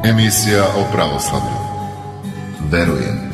Emisija o pravoslavlju. Verujem.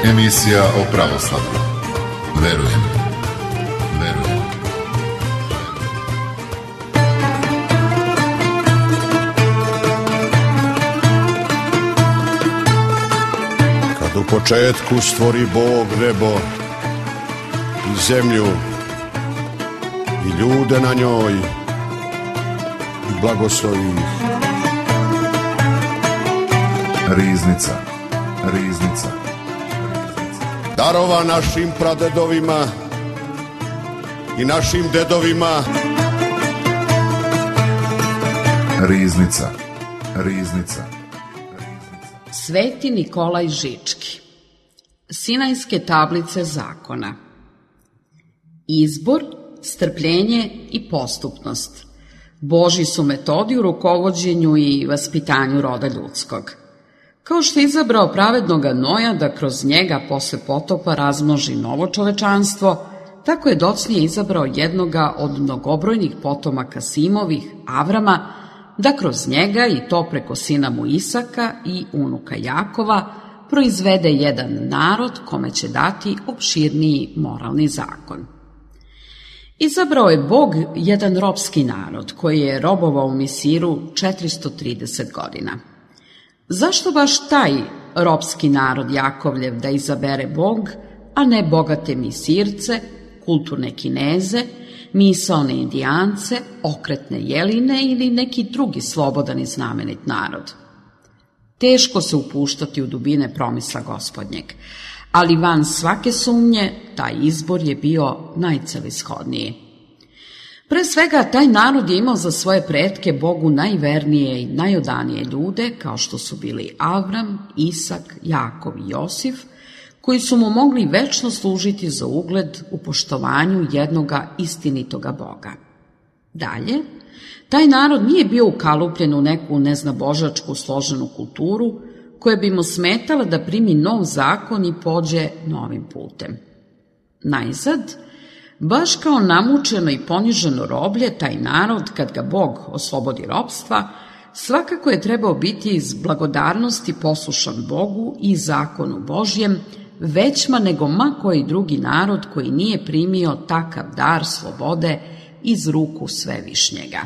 Emisija o pravoslavlju. Verujem. Kad u početku stvori Bog nebo i zemlju i ljude na njoj i blagoslovi ih. Riznica. Darova našim pradedovima i našim dedovima. Riznica. Sveti Nikolaj Žički. Sinajske tablice zakona. Izbor, strpljenje i postupnost. Božji su metodi u rukovođenju i vaspitanju roda ljudskog. Kao što je izabrao pravednoga Noja da kroz njega posle potopa razmnoži novo čovečanstvo, tako je docnije izabrao jednoga od mnogobrojnih potomaka Simovih, Avrama, da kroz njega i to preko sina mu Isaka i unuka Jakova proizvede jedan narod kome će dati opširniji moralni zakon. Izabrao je Bog jedan ropski narod koji je robovao u Misiru 430 godina. Zašto baš taj ropski narod Jakovljev da izabere Bog, a ne bogate Misirce, kulturne Kineze, misaone Indijance, okretne Jeline ili neki drugi slobodan i znamenit narod? Teško se upuštati u dubine promisla Gospodnjeg, ali van svake sumnje taj izbor je bio najcelishodniji. Pre svega, taj narod je imao za svoje pretke Bogu najvernije i najodanije ljude, kao što su bili Avram, Isak, Jakov i Josif, koji su mu mogli večno služiti za ugled u poštovanju jednoga istinitoga Boga. Dalje, taj narod nije bio ukalupljen u neku neznabožačku složenu kulturu, koja bi mu smetala da primi nov zakon i pođe novim putem. Najzad, baš kao namučeno i poniženo roblje, taj narod, kad ga Bog oslobodi ropstva, svakako je trebao biti iz blagodarnosti poslušan Bogu i zakonu Božjem, većma nego ma koji drugi narod koji nije primio takav dar slobode iz ruku Svevišnjega.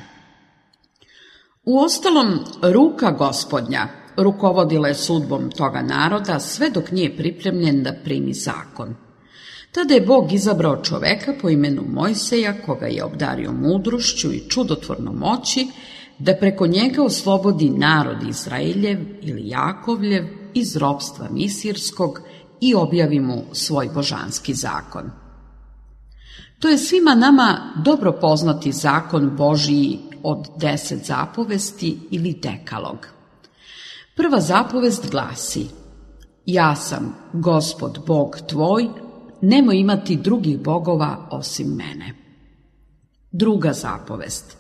Uostalom, ruka Gospodnja rukovodila je sudbom toga naroda sve dok nije pripremljen da primi zakon. Tada je Bog izabrao čoveka po imenu Mojseja, koga je obdario mudrošću i čudotvornom moći, da preko njega oslobodi narod Izraeljev ili Jakovljev iz ropstva misirskog i objavi mu svoj božanski zakon. To je svima nama dobro poznati zakon Božiji od 10 zapovesti ili dekalog. Prva zapovest glasi: Ja sam Gospod Bog tvoj, nemoj imati drugih bogova osim mene. Druga zapovest: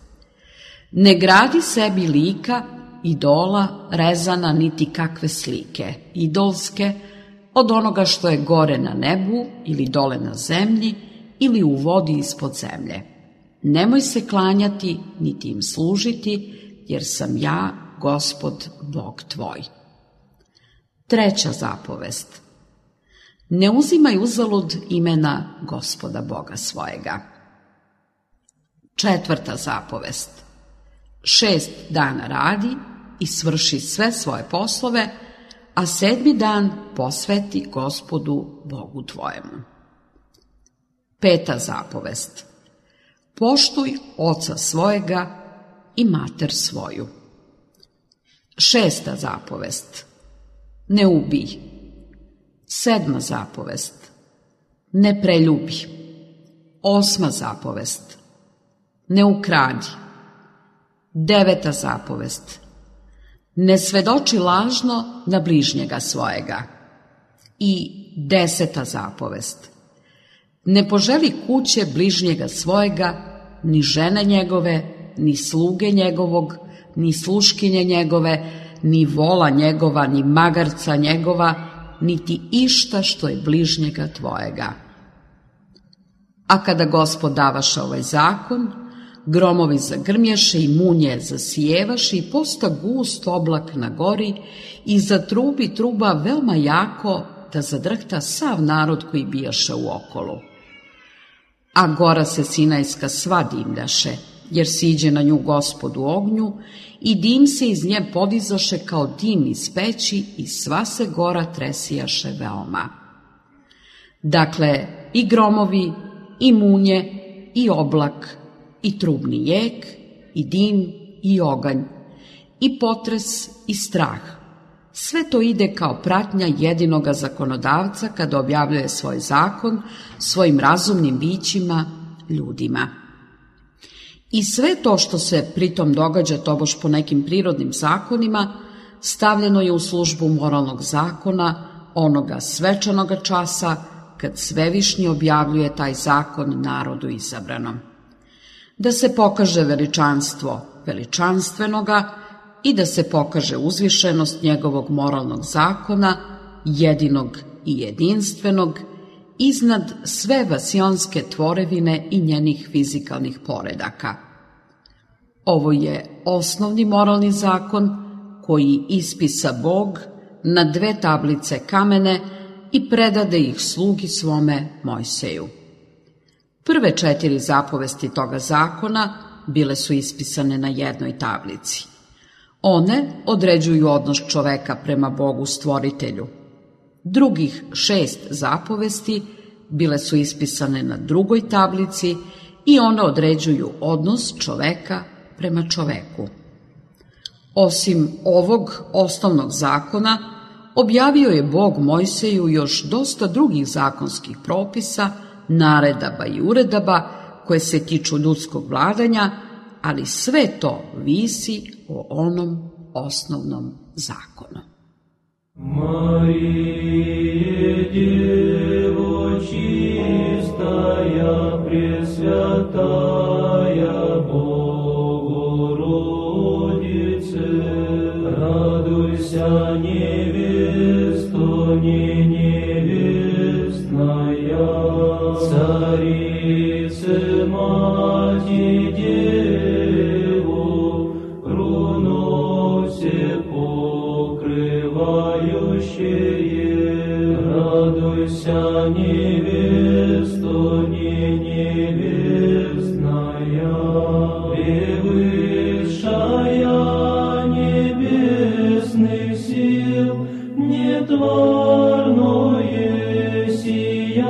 Ne gradi sebi lika, idola, rezana, niti kakve slike, idolske, od onoga što je gore na nebu ili dole na zemlji ili u vodi ispod zemlje. Nemoj se klanjati, niti im služiti, jer sam ja Gospod Bog tvoj. Treća zapovest: Ne uzimaj uzalud imena Gospoda Boga svojega. Četvrta zapovest: 6 dana radi i svrši sve svoje poslove, a 7. dan posveti Gospodu Bogu tvojemu. Peta zapovest: Poštuj oca svojega i mater svoju. 6. zapovest: Ne ubij. 7. zapovest: Ne preljubi. 8. zapovest. Ne ukradi. 9. zapovest. Ne svedoči lažno na bližnjega svojega. I 10. zapovest. Ne poželi kuće bližnjega svojega, ni žene njegove, ni sluge njegovog, ni sluškinje njegove, ni vola njegova, ni magarca njegova, niti išta što je bližnjega tvojega. A kada Gospod davaše ovaj zakon, gromovi zagrmješe i munje zasijevaše i posta gust oblak na gori i zatrubi truba veoma jako da zadrhta sav narod koji bijaše u okolu. A gora se Sinajska sva dimljaše, jer siđe na nju Gospod u ognju i dim se iz nje podizaše kao dim iz peći i sva se gora tresijaše veoma. Dakle, i gromovi, i munje, i oblak, i trubni jek, i dim, i oganj, i potres, i strah. Sve to ide kao pratnja jedinoga zakonodavca kada objavljuje svoj zakon svojim razumnim bićima, ljudima. I sve to što se pritom događa tobož po nekim prirodnim zakonima, stavljeno je u službu moralnog zakona, onoga svečanoga časa, kad Svevišnji objavljuje taj zakon narodu izabranom. Da se pokaže veličanstvo veličanstvenoga i da se pokaže uzvišenost njegovog moralnog zakona, jedinog i jedinstvenog, iznad sve vasionske tvorevine i njenih fizikalnih poredaka. Ovo je osnovni moralni zakon koji ispisa Bog na 2 tablice kamene i predade ih slugi svome Mojseju. Prve 4 zapovesti toga zakona bile su ispisane na jednoj tablici. One određuju odnos čoveka prema Bogu stvoritelju. Drugih 6 zapovesti bile su ispisane na drugoj tablici i one određuju odnos čoveka prema čoveku. Osim ovog osnovnog zakona, objavio je Bog Mojseju još dosta drugih zakonskih propisa, naredaba i uredaba koje se tiču ljudskog vladanja, ali sve to visi o onom osnovnom zakonu. Marije, Djevo čistaya, presvятая Bogorodice, радуйся, невесто не невестная, царице мати Деву, круну все покрывающее, радуйся, невесто не невестная, превышая небесных сил, нетворное сияние,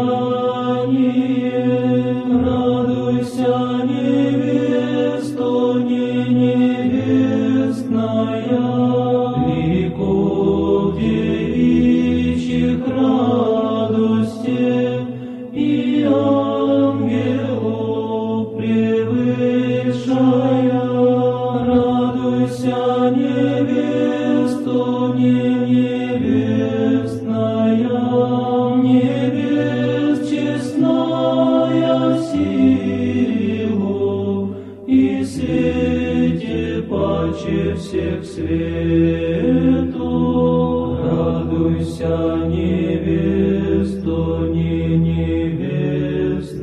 радуйся, невесто не невестная, веков девичьих радостей и ангелов превышая, радуйся, невесто не невестная, небес честная силу и свете паче всех свету, радуйся, невесто не невестная,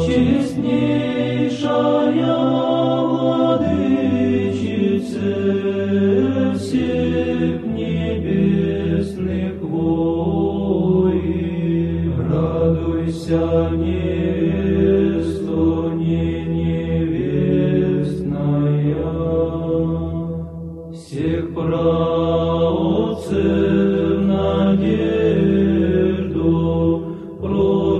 честнейшая владычице всех небесных воин, радуйся, невесто не невестная, всех праотцев надежду, пророков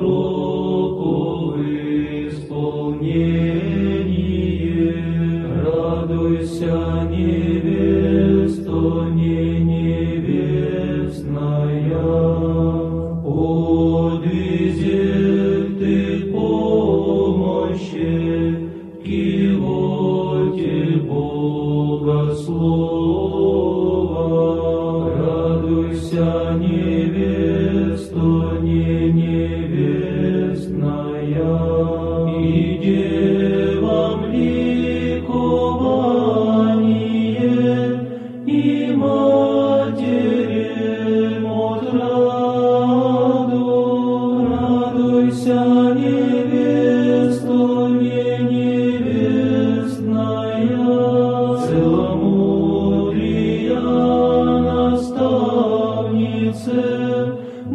исполнение, радуйся, невесто не невестная, подвизет ты девам ликование и матерям отраду. Радуйся, невесто невестная, целомудрия наставнице,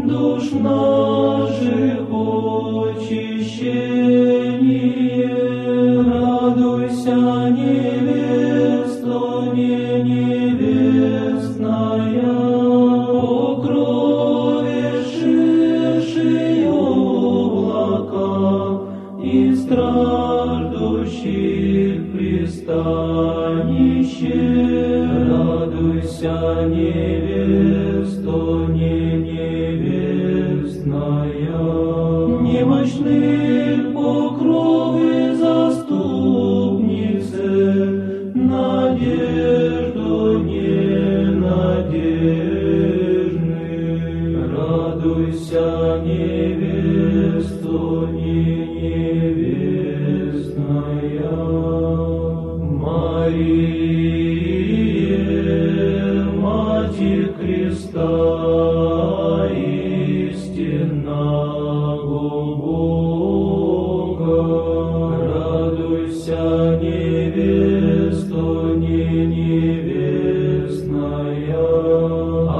душ наших очищение. Радуйся, невесто невестная, покровивши облака и страждущих пристанище. Радуйся, невесто невестная, немощных покровы заступнице, надежду ненадежных. Радуйся, невесто невестная. Мария, Матерь Христа, истинного Бога, радуйся, невесто невестная.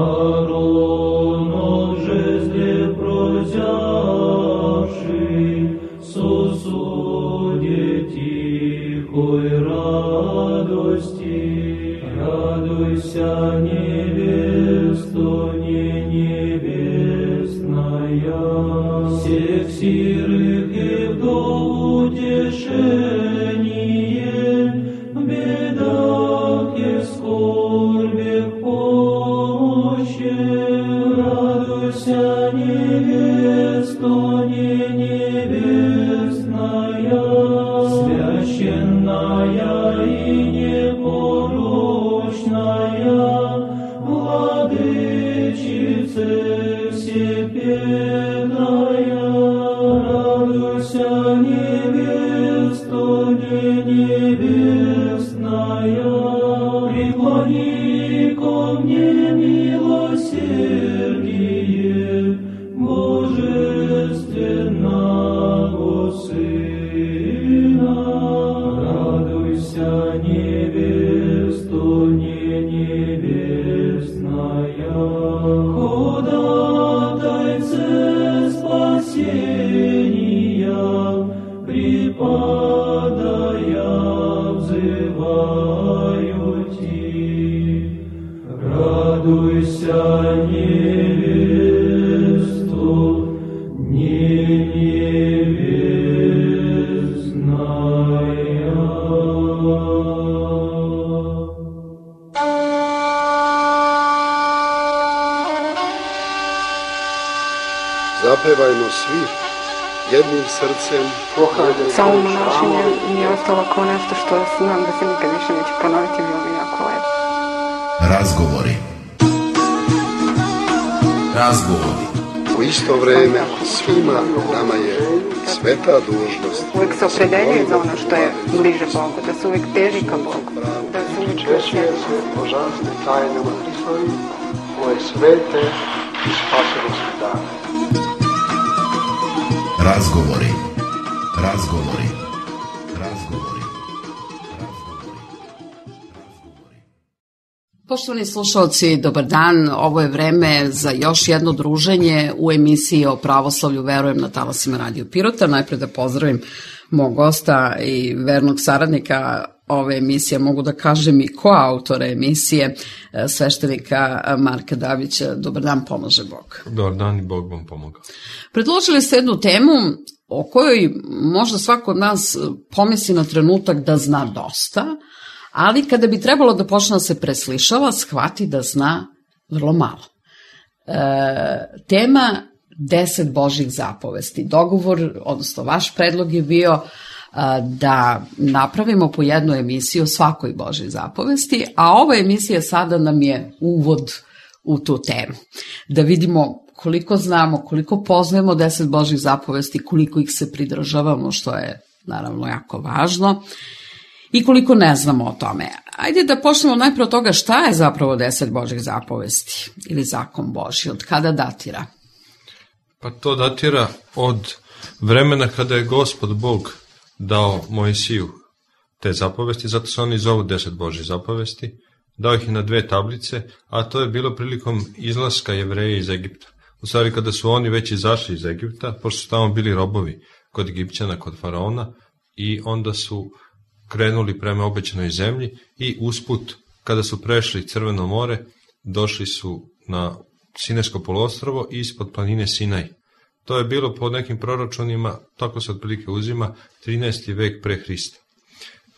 Ааронов жезле прозявший, сосуде тихой радости. Радуйся, невесто невестная. Всех сирых и вдов утешение, в бедах и скорбях помощи. Радуйся, невесто невестная, священная и непорочная, владычице всепетная. Радуйся, невесто невестная, преклони ко мне милосердие божественного Сына. Радуйся, невесто невестная, ходатайце спасения, припадая взываю Ти. Радуйся, невесто невестная. Zapevajmo svi jednim srcem. Samo monašenje mi je ostalo kao nešto što znam da se nikad više neće ponoviti, bilo mi jako lepo. Razgovori. Razgovori. U isto vreme svima nama je sveta dužnost. Uvijek se opredeljuje za ono što je bliže Bogu, da se uvijek teži ka Bogu, da se uvijek Svjesni božanstve tajnama Hristovi, koje svete i spasonosne dane. Razgovori. Razgovori. Razgovori. Poštovani slušalci, dobar dan. Ovo je vreme za još jedno druženje u emisiji o pravoslavlju Verujem na talasima Radio Pirota. Najpre da pozdravim mog gosta i vernog saradnika ove emisije, mogu da kažem i koautora emisije, sveštenika Marka Dabića. Dobar dan, pomaže Bog. Dobar dan i Bog vam pomogao. Predložili ste jednu temu o kojoj možda svako od nas pomisli na trenutak da zna dosta, ali kada bi trebalo da počne da se preslišava, shvati da zna vrlo malo. Tema 10 Božjih zapovesti. Dogovor, odnosno vaš predlog je bio da napravimo po jednu emisiju o svakoj Božjoj zapovesti, a ova emisija sada nam je uvod u tu temu. Da vidimo koliko znamo, koliko poznajemo 10 Božjih zapovesti, koliko ih se pridržavamo, što je naravno jako važno, i koliko ne znamo o tome. Ajde da počnemo najprije od toga šta je zapravo 10 Božjih zapovesti ili zakon Božji, od kada datira? Pa to datira od vremena kada je Gospod Bog dao Mojsiju te zapovesti, zato se oni zovu 10 Božjih zapovesti, dao ih na 2 tablice, a to je bilo prilikom izlaska Jevreja iz Egipta. U stvari kada su oni već izašli iz Egipta, pošto su tamo bili robovi kod Egipćana, kod faraona, i onda su krenuli prema obećanoj zemlji i usput, kada su prešli Crveno more, došli su na Sinajsko poluostrvo i ispod planine Sinaj. To je bilo po nekim proračunima, tako se otprilike uzima, 13. vek pre Hrista.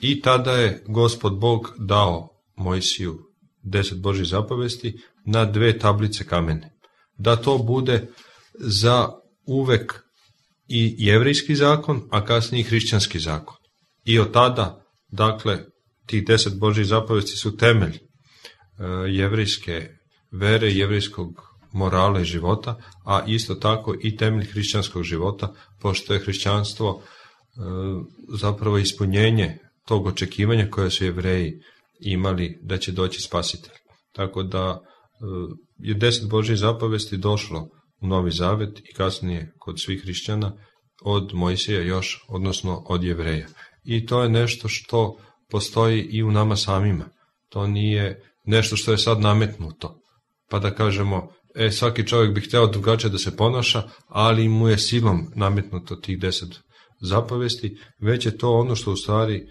I tada je Gospod Bog dao Mojsiju 10 Božjih zapovesti na 2 tablice kamene. Da to bude za uvek i jevrejski zakon, a kasnije i hrišćanski zakon. I od tada, dakle, tih 10 Božjih zapovesti su temelj jevrejske vere, jevrejskog morala i života, a isto tako i temelj hrišćanskog života, pošto je hrišćanstvo zapravo ispunjenje tog očekivanja koje su Jevreji imali da će doći spasitelj. Tako da je 10 Božjih zapovesti došlo u Novi Zavet i kasnije kod svih hrišćana od Mojsija još, odnosno od Jevreja. I to je nešto što postoji i u nama samima. To nije nešto što je sad nametnuto. Pa da kažemo, svaki čovjek bi hteo drugačije da se ponaša, ali mu je silom nametnuto tih 10 zapovesti, već je to ono što u stvari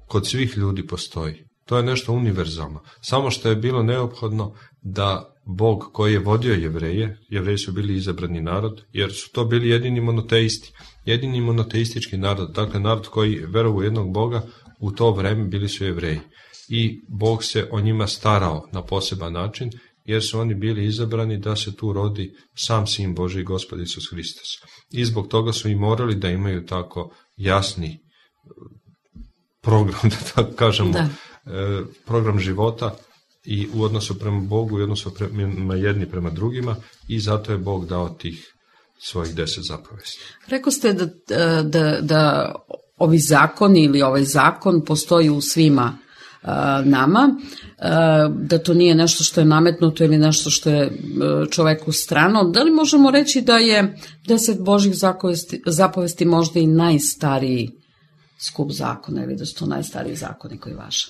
kod svih ljudi postoji. To je nešto univerzalno. Samo što je bilo neophodno da Bog koji je vodio Jevreje, Jevreji su bili izabrani narod, jer su to bili jedini monoteisti, jedini monoteistički narod, dakle narod koji veruje u jednog Boga, u to vreme bili su Jevreji. I Bog se o njima starao na poseban način, jer su oni bili izabrani da se tu rodi sam Sin Božji, Gospod Isus Hristos. I zbog toga su i morali da imaju tako jasni program, da tako kažemo, program života i u odnosu prema Bogu i u odnosu prema jedni prema drugima, i zato je Bog dao tih svojih 10 zapovesti. Rekao ste da ovi zakoni ili ovaj zakon postoji u svima nama, da to nije nešto što je nametnuto ili nešto što je čoveku strano. Da li možemo reći da je 10 Božjih zapovesti možda i najstariji skup zakona ili da su to najstariji zakoni koji važe?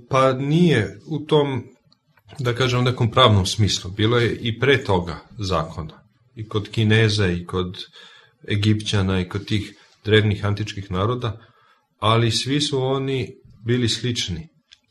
Pa nije u tom, da kažem, nekom pravnom smislu. Bilo je i pre toga zakona. I kod Kineza, i kod Egipćana, i kod tih drevnih antičkih naroda, ali svi su oni bili slični.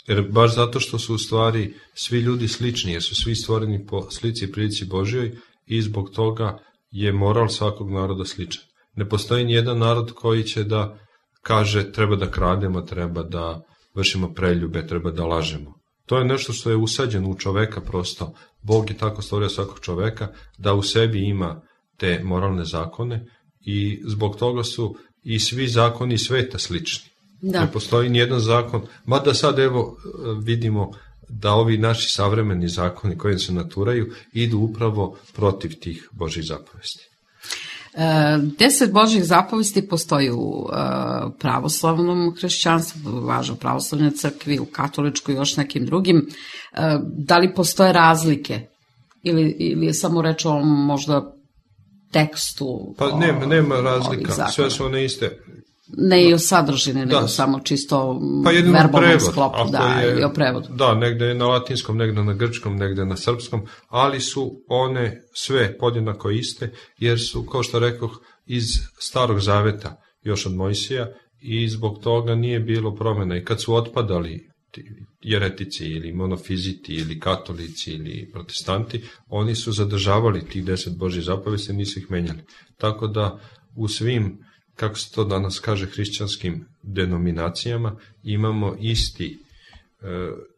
Jer baš zato što su u stvari svi ljudi slični, jer su svi stvoreni po slici i prilici Božjoj, i zbog toga je moral svakog naroda sličan. Ne postoji nijedan narod koji će da kaže treba da krademo, treba da vršimo preljube, treba da lažemo. To je nešto što je usađeno u čoveka prosto. Bog je tako stvorio svakog čoveka da u sebi ima te moralne zakone, i zbog toga su i svi zakoni sveta slični. Da. Ne postoji nijedan zakon, mada sad evo vidimo da ovi naši savremeni zakoni koji se naturaju idu upravo protiv tih Božjih zapovesti. 10 Božjih zapovesti postoji u pravoslavnom hrišćanstvu, važno u pravoslavnoj crkvi, u katoličkoj i još nekim drugim. Da li postoje razlike? Ili je samo reč o možda tekstu? Pa nema razlika, sve su one iste. Ne i o sadržini, nego samo čisto verbalnom sklopu, ili o prevodu. Da, negde je na latinskom, negde na grčkom, negde na srpskom, ali su one sve podjednako iste, jer su, kao što rekoh, iz Starog Zaveta, još od Mojsija, i zbog toga nije bilo promjena. I kad su otpadali jeretici ili monofiziti ili katolici ili protestanti, oni su zadržavali tih 10 Božjih zapovesti, nisu ih menjali. Tako da u svim, kako se to danas kaže, hrišćanskim denominacijama imamo isti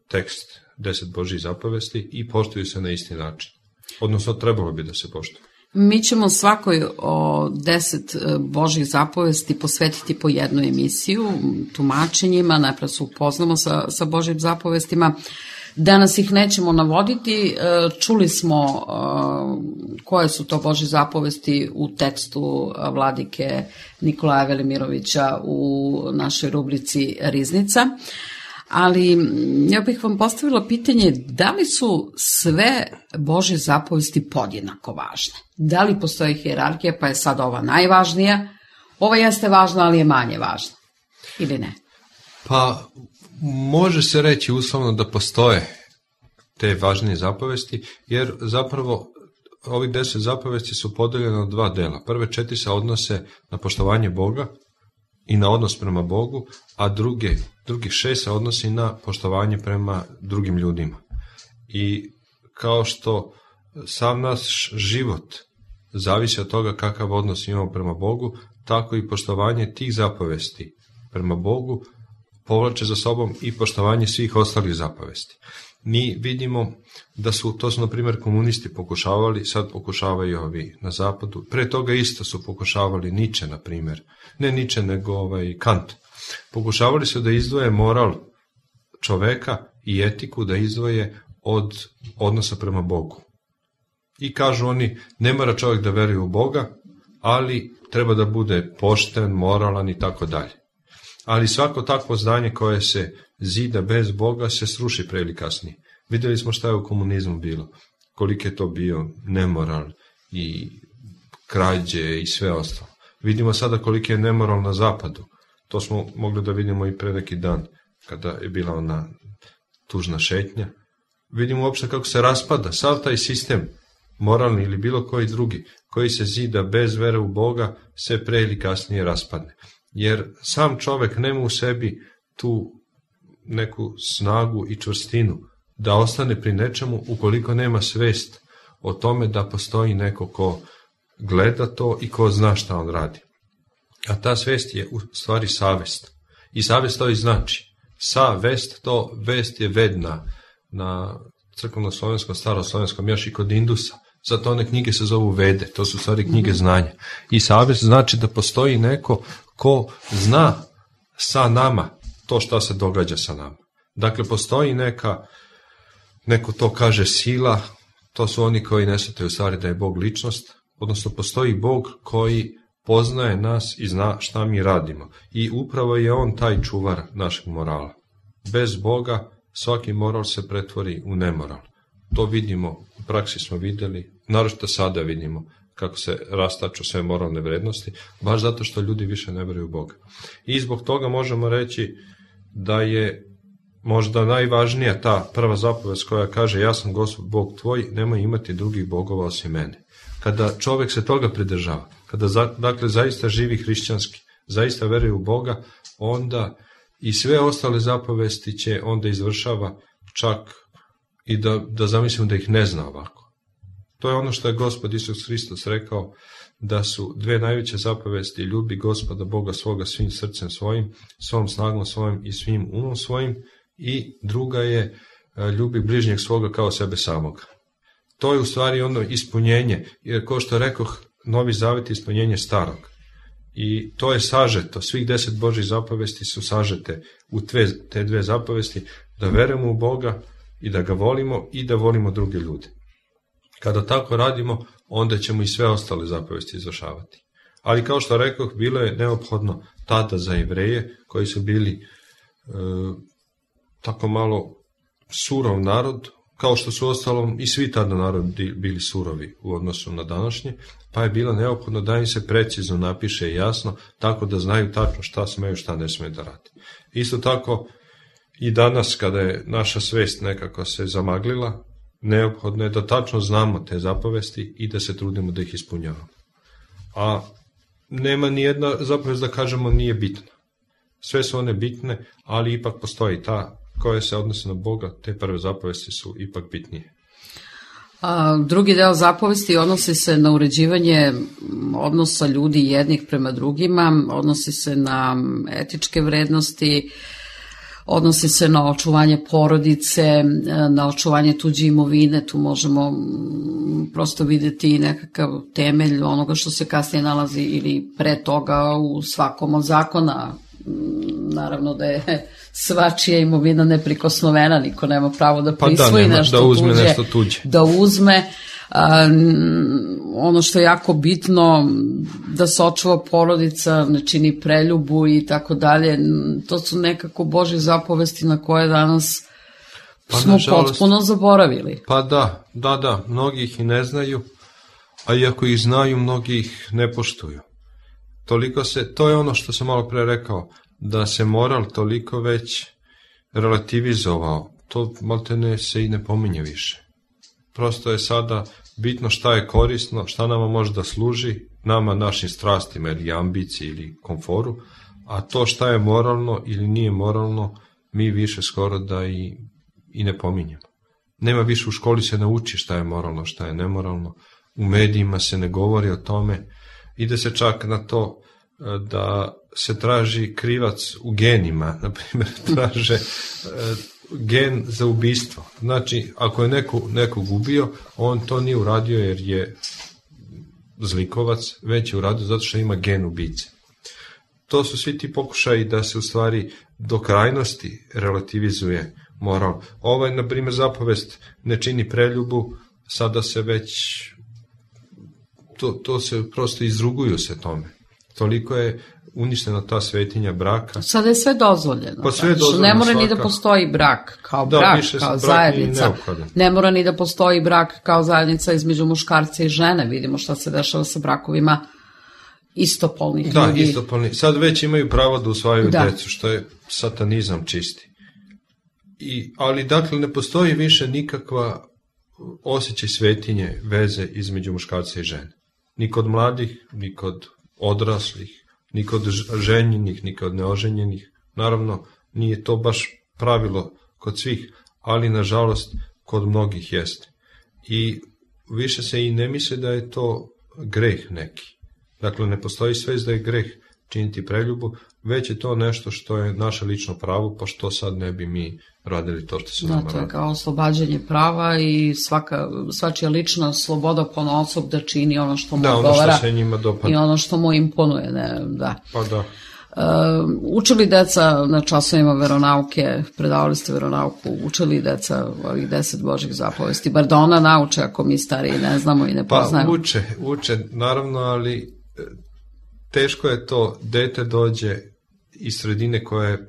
tekst 10 Božjih zapovesti i poštuju se na isti način. Odnosno, trebalo bi da se poštuju. Mi ćemo svakoj o 10 Božjih zapovesti posvetiti po jednu emisiju, tumačenjima, najprije se upoznamo sa Božjim zapovestima. Danas ih nećemo navoditi, čuli smo koje su to Božje zapovesti u tekstu vladike Nikolaja Velimirovića u našoj rubrici Riznica, ali ja bih vam postavila pitanje da li su sve Božje zapovesti podjednako važne? Da li postoji hijerarhija pa je sad ova najvažnija, ova jeste važna ali je manje važna ili ne? Pa može se reći uslovno da postoje te važnije zapovesti, jer zapravo ovih 10 zapovesti su podeljene u 2 dela. Prve 4 se odnose na poštovanje Boga i na odnos prema Bogu, a drugih 6 se odnosi na poštovanje prema drugim ljudima. I kao što sam naš život zavisi od toga kakav odnos imamo prema Bogu, tako i poštovanje tih zapovesti prema Bogu povlače za sobom i poštovanje svih ostalih zapovesti. Mi vidimo da su na primjer komunisti pokušavali, sad pokušavaju ovi na zapadu, pre toga isto su pokušavali Nietzsche, na primjer, ne Nietzsche nego Kant. Pokušavali su da izdvoje moral čoveka i etiku, da izdvoje od odnosa prema Bogu. I kažu oni, ne mora čovjek da veruje u Boga, ali treba da bude pošten, moralan i tako dalje. Ali svako takvo zdanje koje se zida bez Boga se sruši pre ili kasnije. Vidjeli smo šta je u komunizmu bilo, koliko je to bio nemoral i krađe i sve ostalo. Vidimo sada koliko je nemoral na zapadu. To smo mogli da vidimo i pre neki dan, kada je bila ona tužna šetnja. Vidimo uopšte kako se raspada sav taj sistem, moralni ili bilo koji drugi, koji se zida bez vere u Boga, se pre ili kasnije raspadne. Jer sam čovek nema u sebi tu neku snagu i čvrstinu da ostane pri nečemu ukoliko nema svest o tome da postoji neko ko gleda to i ko zna šta on radi. A ta svest je u stvari savest. I savest to i znači. Savest, to vest je vedna na crkveno-slovenskom, staroslovenskom, još i kod Indusa. Zato one knjige se zovu Vede, to su stvari knjige znanja. I savest znači da postoji neko ko zna sa nama to šta se događa sa nama. Dakle, postoji neko to kaže sila, to su oni koji ne shvataju u stvari da je Bog ličnost, odnosno postoji Bog koji poznaje nas i zna šta mi radimo. I upravo je on taj čuvar našeg morala. Bez Boga svaki moral se pretvori u nemoral. To vidimo, u praksi smo vidjeli, naročito sada vidimo kako se rastaču sve moralne vrednosti, baš zato što ljudi više ne veruju u Boga. I zbog toga možemo reći da je možda najvažnija ta prva zapovest koja kaže ja sam Gospod Bog tvoj, nemoj imati drugih bogova osim mene. Kada čovjek se toga pridržava, kada dakle zaista živi hrišćanski, zaista veruje u Boga, onda i sve ostale zapovesti će onda izvršava, čak i da zamislimo da ih ne zna ovako. To je ono što je Gospod Isus Hristos rekao, da su 2 najveće zapovesti: ljubi Gospoda Boga svoga svim srcem svojim, svom snagom svojim i svim umom svojim, i druga je ljubi bližnjeg svoga kao sebe samoga. To je u stvari ono ispunjenje, jer kao što rekoh, Novi Zavet je ispunjenje starog. I to je sažeto, svih 10 Božjih zapovesti su sažete u te 2 zapovesti, da verujemo u Boga i da ga volimo i da volimo druge ljude. Kada tako radimo, onda ćemo i sve ostale zapovesti izvršavati. Ali kao što rekoh, bilo je neophodno tada za Jevreje, koji su bili tako malo surov narod, kao što su ostalom i svi tada narodi bili surovi u odnosu na današnje, pa je bilo neophodno da im se precizno napiše jasno, tako da znaju tačno šta smeju, šta ne smeju da radi. Isto tako i danas, kada je naša svest nekako se zamaglila, neophodno je da tačno znamo te zapovesti i da se trudimo da ih ispunjavamo. A nema ni jedna zapovest da kažemo nije bitna. Sve su one bitne, ali ipak postoji ta koje se odnose na Boga, te prve zapovesti su ipak bitnije. Drugi deo zapovesti odnosi se na uređivanje odnosa ljudi jednih prema drugima, odnosi se na etičke vrednosti, odnosi se na očuvanje porodice, na očuvanje tuđe imovine. Tu možemo prosto videti nekakav temelj onoga što se kasnije nalazi ili pre toga u svakom od zakona naravno da je svačija imovina neprikosnovena, niko nema pravo da prisvoji da uzme nešto tuđe. Da uzme. Ono što je jako bitno, da se očuva porodica, ne čini preljubu i tako dalje, to su nekako Božje zapovesti na koje danas smo potpuno zaboravili. Pa da, mnogi ih i ne znaju, a iako ih znaju, mnogi ih ne poštuju. To je ono što sam malo pre rekao, da se moral toliko već relativizovao, to maltene se i ne pominje više. Prosto je sada bitno šta je korisno, šta nama može da služi, nama, našim strastima ili ambiciji ili komforu, a to šta je moralno ili nije moralno, mi više skoro da i ne pominjemo. Nema više, u školi se nauči šta je moralno, šta je nemoralno, u medijima se ne govori o tome, ide se čak na to da se traži krivac u genima, na primjer traže gen za ubistvo. Znači, ako je nekog ubio, on to nije uradio jer je zlikovac, već je uradio zato što ima gen ubice. To su svi ti pokušaji da se u stvari do krajnosti relativizuje moral. Na primjer, zapovest ne čini preljubu, sada se već to se prosto izruguju se tome. Toliko je uništena ta svetinja braka. Sada je sve dozvoljeno. Pa sve dozvoljeno, ne mora ni da postoji brak kao brak, kao zajednica. Ne mora ni da postoji brak kao zajednica između muškarca i žene. Vidimo šta se dešava sa brakovima istopolnih ljudi. Da, istopolni. Sad već imaju pravo da usvajaju decu, što je satanizam čisti. Ali dakle ne postoji više nikakva osjećaj svetinje, veze između muškarca i žene. Ni kod mladih, ni kod odraslih, ni kod ženjenih, ni kod neoženjenih. Naravno, nije to baš pravilo kod svih, ali nažalost kod mnogih jeste. I više se i ne misle da je to greh neki. Dakle, ne postoji svest da je greh činiti preljubu, već je to nešto što je naše lično pravo, pa što sad ne bi mi radili to što se nama radi. To je kao oslobađanje prava i svačija lična sloboda ponaosob da čini ono što mu odgovara. Ono što se njima dopada. I ono što mu imponuje. Pa da. Učili deca na časovima veronauke, predavali ste veronauku, učili deca ovih 10 Božjih zapovesti, bar da ona nauče ako mi stariji ne znamo i ne poznajemo. Pa uče, naravno, ali teško je to, dete dođe iz sredine koja je,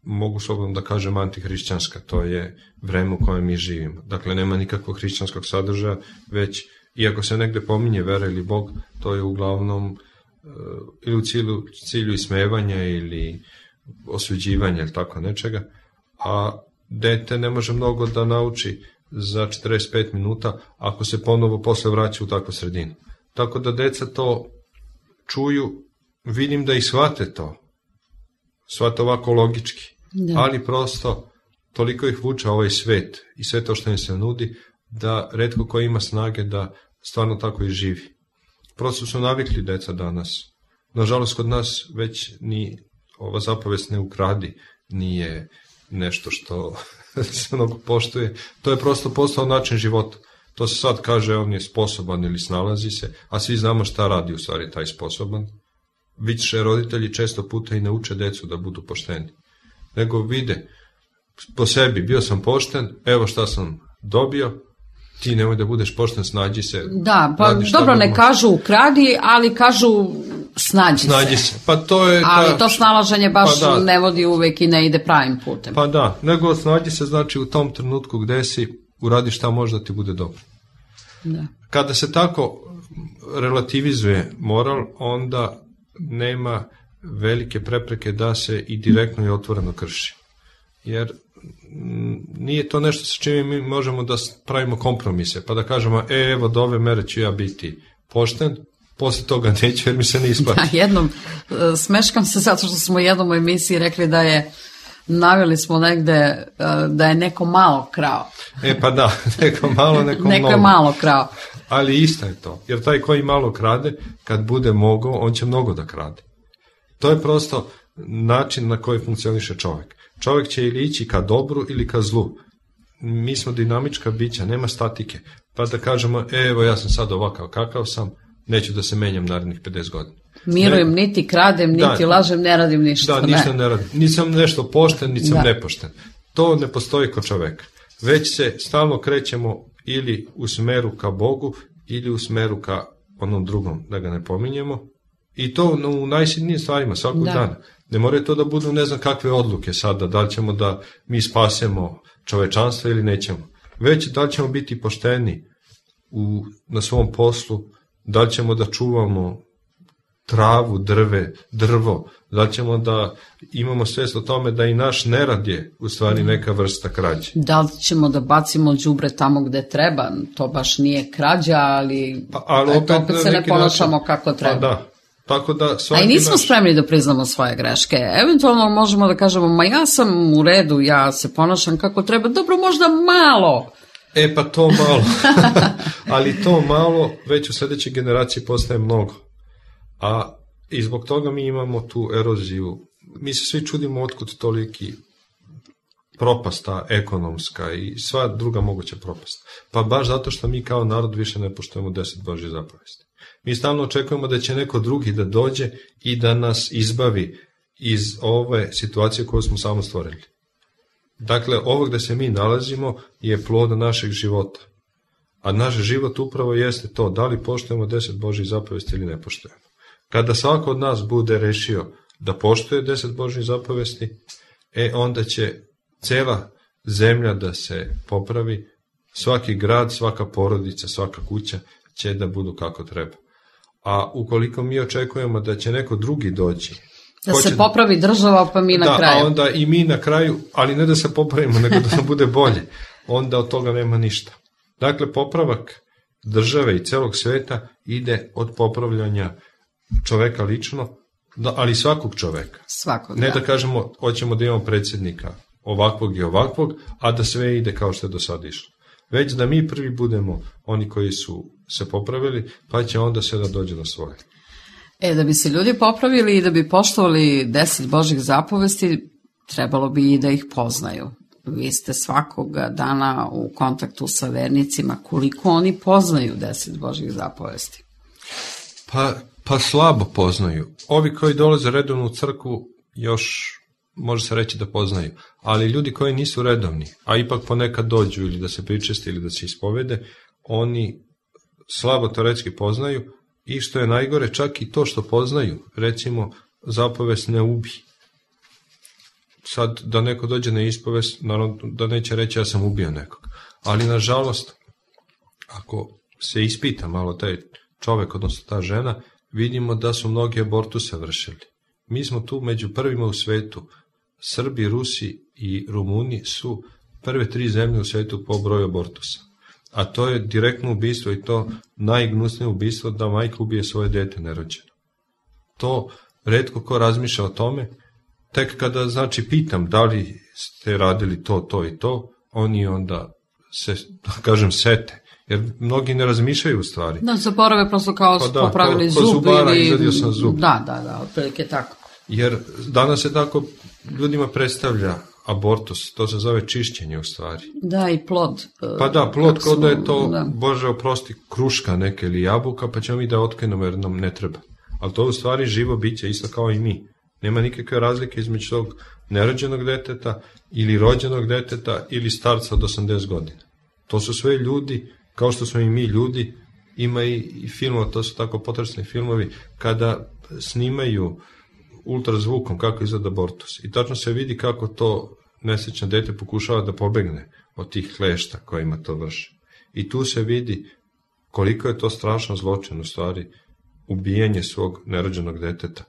mogu slobodno da kažem, antihrišćanska, to je vreme u kojem mi živimo. Dakle, nema nikakvog hrišćanskog sadržaja, već, iako se negde pominje vera ili Bog, to je uglavnom ili u cilju ismevanja ili osuđivanja ili tako nečega, a dete ne može mnogo da nauči za 45 minuta ako se ponovo posle vraća u takvu sredinu. Tako da deca to čuju, vidim da i shvate to, shvate ovako logički, ali prosto toliko ih vuče ovaj svet i sve to što im se nudi, da retko ko ima snage da stvarno tako i živi. Prosto su navikli deca danas. Nažalost, kod nas već ni ova zapovest ne ukradi, nije nešto što se mnogo poštuje. To je prosto postao način života. To se sad kaže, on je sposoban ili snalazi se, a svi znamo šta radi u stvari taj sposoban. Više roditelji često puta i ne uče decu da budu pošteni. Nego vide po sebi, bio sam pošten, evo šta sam dobio, ti nemoj da budeš pošten, snađi se. Da, pa dobro, ne kažu ukradi, ali kažu snađi se. Pa to je ali to snalaženje baš ne vodi uvek i ne ide pravim putem. Pa da, nego snađi se znači u tom trenutku gde si, uradi šta može da ti bude dobro. Da. Kada se tako relativizuje moral, onda nema velike prepreke da se i direktno i otvoreno krši. Jer nije to nešto sa čime mi možemo da pravimo kompromise, pa da kažemo, evo do ove mere ću ja biti pošten, posle toga neću jer mi se ne isplati. Da, jednom, smeškam se zato što smo jednom u emisiji rekli da je, naveli smo negde da je neko malo krao. Pa da, neko malo, neko mnogo. Neko je malo krao. Ali isto je to, jer taj koji malo krade, kad bude mogao, on će mnogo da krade. To je prosto način na koji funkcioniše čovjek. Čovjek će ili ići ka dobru ili ka zlu. Mi smo dinamička bića, nema statike. Pa da kažemo, evo ja sam sad ovakav kakav sam, neću da se menjam narednih 50 godina. Mirujem, niti kradem, niti lažem, ne radim ništa. Da, ništa ne radim. Nisam nešto pošten, niti sam nepošten. To ne postoji kod čoveka. Već se stalno krećemo ili u smeru ka Bogu, ili u smeru ka onom drugom, da ga ne pominjemo. I to u najsitnijim stvarima, svakog dana. Ne moraju to da budu ne znam kakve odluke sada, da li ćemo da mi spasemo čovečanstvo ili nećemo. Već da li ćemo biti pošteni na svom poslu, da li ćemo da čuvamo travu, drvo, da li ćemo da imamo svest o tome da i naš nerad je u stvari neka vrsta krađe. Da li ćemo da bacimo đubre tamo gde treba, to baš nije krađa, ali opet se ne ponašamo kako treba. Pa da. Tako da a i nismo spremni da priznamo svoje greške. Eventualno možemo da kažemo, ma ja sam u redu, ja se ponašam kako treba, dobro, možda malo. Pa to malo. Ali to malo već u sledećoj generaciji postaje mnogo. I zbog toga mi imamo tu eroziju. Mi se svi čudimo otkud toliki propasta ekonomska i sva druga moguća propast. Pa baš zato što mi kao narod više ne poštujemo 10 Božjih zapovesti. Mi stalno očekujemo da će neko drugi da dođe i da nas izbavi iz ove situacije koju smo samo stvorili. Dakle, ovo gde se mi nalazimo je plod našeg života. A naš život upravo jeste to, da li poštujemo 10 Božjih zapovesti ili ne poštujemo. Kada svako od nas bude rešio da poštuje 10 Božjih zapovesti, onda će cela zemlja da se popravi, svaki grad, svaka porodica, svaka kuća će da budu kako treba. A ukoliko mi očekujemo da će neko drugi doći, da se popravi država, pa mi na kraju. A onda i mi na kraju, ali ne da se popravimo, nego da nam bude bolje, onda od toga nema ništa. Dakle, popravak države i celog sveta ide od popravljanja čoveka lično, ali svakog čoveka. Ne da kažemo, hoćemo da imamo predsjednika ovakvog i ovakvog, a da sve ide kao što je do sada išlo. Već da mi prvi budemo oni koji su se popravili, pa će onda sve da dođe do svoje. Da bi se ljudi popravili i da bi poštovali 10 Božjih zapovesti, trebalo bi i da ih poznaju. Vi ste svakoga dana u kontaktu sa vernicima, koliko oni poznaju 10 Božjih zapovesti? Pa slabo poznaju. Ovi koji dolaze redovno u crkvu još može se reći da poznaju, ali ljudi koji nisu redovni, a ipak ponekad dođu ili da se pričeste ili da se ispovede, oni slabo teoretski poznaju i što je najgore, čak i to što poznaju, recimo zapovest ne ubi. Sad da neko dođe na ispovest, naravno da neće reći ja sam ubio nekog, ali nažalost, ako se ispita malo taj čovek, odnosno ta žena, vidimo da su mnogi abortuse vršili. Mi smo tu među prvima u svetu. Srbi, Rusi i Rumuni su prve 3 zemlje u svetu po broju abortusa. A to je direktno ubistvo i to najgnusnije ubistvo da majka ubije svoje dete nerođeno. To retko ko razmišlja o tome. Tek kada, pitam da li ste radili to i to, oni onda se, kažem, sete. Jer mnogi ne razmišljaju u stvari. Da, zaborave prosto kao su popravili zub. Ko zubara izvadio sam zub. Da, otprilike tako. Jer danas se tako ljudima predstavlja abortus, to se zove čišćenje u stvari. Da, i plod. Pa da, plod kao da je to, Bože oprosti, kruška neka ili jabuka, pa ćemo mi da otkrijemo jer nam ne treba. Ali to je u stvari živo biće, isto kao i mi. Nema nikakve razlike između tog nerođenog deteta ili rođenog deteta ili starca od 80 godina. To su sve ljudi, kao što smo i mi ljudi, ima i filmova, to su tako potresni filmovi, kada snimaju ultrazvukom kako izgleda abortus. I tačno se vidi kako to nesrećno dete pokušava da pobegne od tih klešta kojima to vrši. I tu se vidi koliko je to strašno zločin, u stvari, ubijanje svog nerođenog deteta.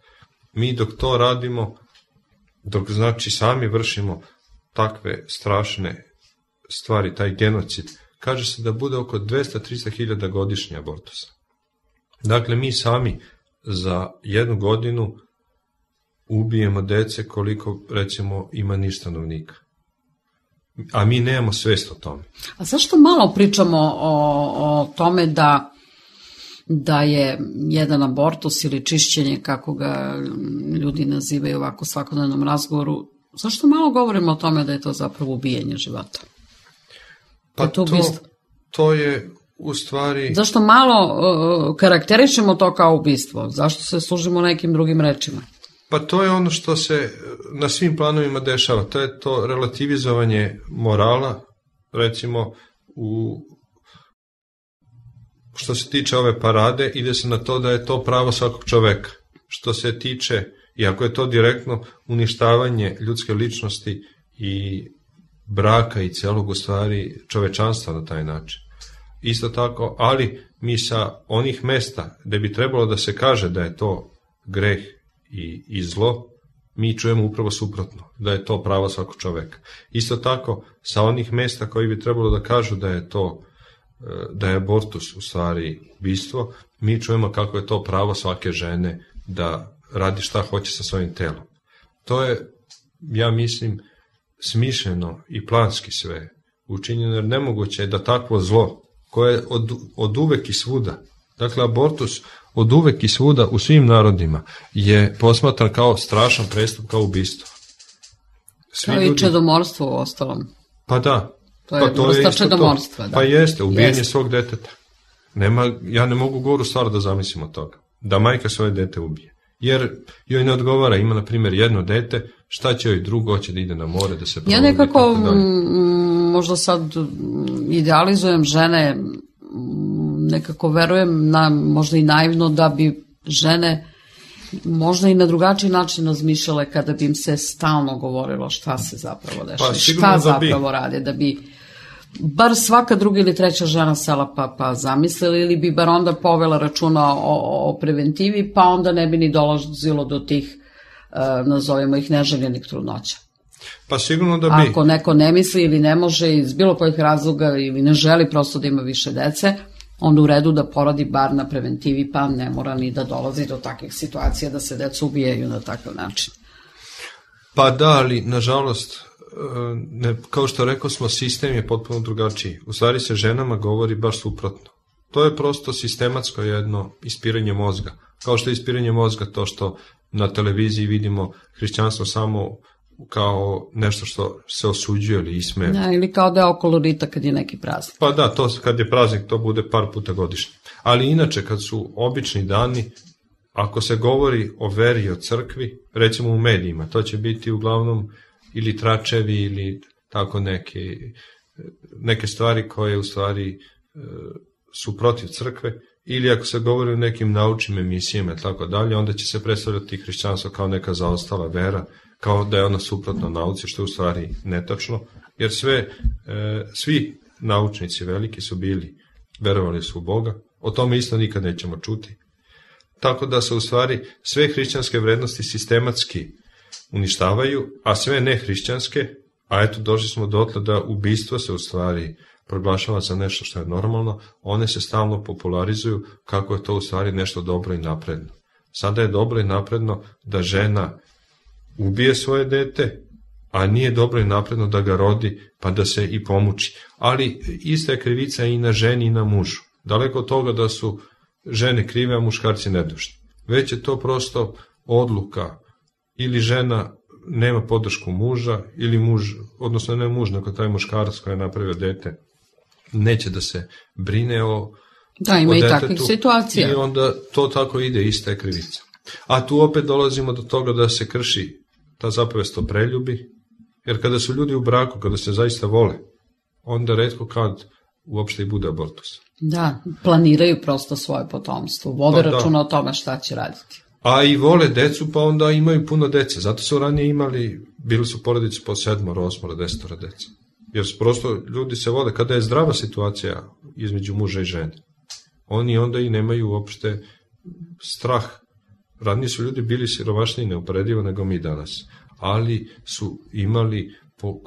Mi dok to radimo, dok sami vršimo takve strašne stvari, taj genocid, kaže se da bude oko 200-300 hiljada godišnje abortusa. Dakle, mi sami za 1 godinu ubijemo dece koliko, recimo, ima niš stanovnika. A mi nemamo svest o tome. A zašto malo pričamo o tome da je jedan abortus ili čišćenje, kako ga ljudi nazivaju ovako u svakodnevnom razgovoru, zašto malo govorimo o tome da je to zapravo ubijanje života? Pa to je u stvari... Zašto malo karakterišemo to kao ubistvo? Zašto se služimo nekim drugim rečima? Pa to je ono što se na svim planovima dešava. To je to relativizovanje morala, recimo što se tiče ove parade, ide se na to da je to pravo svakog čoveka. Što se tiče, iako je to direktno uništavanje ljudske ličnosti i braka i celog u stvari čovečanstva na taj način. Isto tako, ali mi sa onih mesta gde bi trebalo da se kaže da je to greh i zlo, mi čujemo upravo suprotno, da je to pravo svakog čoveka. Isto tako, sa onih mesta koji bi trebalo da kažu da je to, da je abortus u stvari ubistvo, mi čujemo kako je to pravo svake žene da radi šta hoće sa svojim telom. To je, ja mislim, smišljeno i planski sve učinjeno, jer nemoguće je da takvo zlo, koje je od uvek i svuda, dakle abortus od uvek i svuda u svim narodima je posmatran kao strašan prestup, kao ubistvo. Kao i čedomorstvo u ostalom. Pa da. To je vrsta čedomorstva. Da. Pa jeste, ubijanje svog deteta. Ja ne mogu goru stvar da zamislim od toga. Da majka svoje dete ubije. Jer joj ne odgovara, ima na primjer jedno dete, šta će joj drugo, hoće da ide na more, da se provodi. Ja nekako, možda sad idealizujem žene, nekako verujem, možda i naivno, da bi žene možda i na drugačiji način razmišljale kada bi im se stalno govorilo šta se zapravo dešava, šta zapravo rade, da bi bar svaka druga ili treća žena sela pa zamislili, ili bi bar onda povela računa o preventivi, pa onda ne bi ni dolazilo do tih, nazovimo ih, neželjenih trudnoća. Pa sigurno da bi. Ako neko ne misli ili ne može iz bilo kojih razloga ili ne želi prosto da ima više dece, onda u redu da poradi bar na preventivi, pa ne mora ni da dolazi do takvih situacija da se deca ubijaju na takav način. Pa da, ali nažalost, kao što rekao smo, sistem je potpuno drugačiji. U stvari se ženama govori baš suprotno. To je prosto sistematsko jedno ispiranje mozga. Kao što je ispiranje mozga to što na televiziji vidimo hrišćanstvo samo kao nešto što se osuđuje ili ismeje. Ja, ili kao da je okolo rita kad je neki praznik. Pa da, to kad je praznik to bude par puta godišnje. Ali inače kad su obični dani, ako se govori o veri i o crkvi, recimo u medijima, to će biti uglavnom ili tračevi ili tako neke stvari koje u stvari su protiv crkve, ili ako se govori o nekim naučnim emisijama i tako dalje, onda će se predstavljati hrišćanstvo kao neka zaostala vera, kao da je ona suprotna nauci, što je u stvari netačno, jer svi naučnici veliki su bili, verovali su u Boga, o tome isto nikad nećemo čuti. Tako da se u stvari sve hrišćanske vrednosti sistematski uništavaju, a sve nehrišćanske, a eto došli smo dotle da ubistvo se u stvari proglašava za nešto što je normalno, one se stalno popularizuju kako je to u stvari nešto dobro i napredno. Sada je dobro i napredno da žena ubije svoje dete, a nije dobro i napredno da ga rodi pa da se i pomuči. Ali ista je krivica i na ženi i na mužu. Daleko od toga da su žene krive, a muškarci nedužni. Već je to prosto odluka, ili žena nema podršku muža, ili muž, odnosno ne muž, nego taj muškarac koji je napravio dete, neće da se brine o da, ima i takvih situacija. I onda to tako ide, ista je krivica. A tu opet dolazimo do toga da se krši ta zapovest o preljubi, jer kada su ljudi u braku, kada se zaista vole, onda retko kad uopšte i bude abortus. Da, planiraju prosto svoje potomstvo, vode računa o tome šta će raditi. A i vole decu, pa onda imaju puno dece. Zato su ranije bili su porodice po 7, 8, 10 dece. Jer prosto ljudi se vole, kada je zdrava situacija između muža i žene, oni onda i nemaju uopšte strah. Ranije su ljudi bili siromašniji neuporedivo nego mi danas, ali su imali,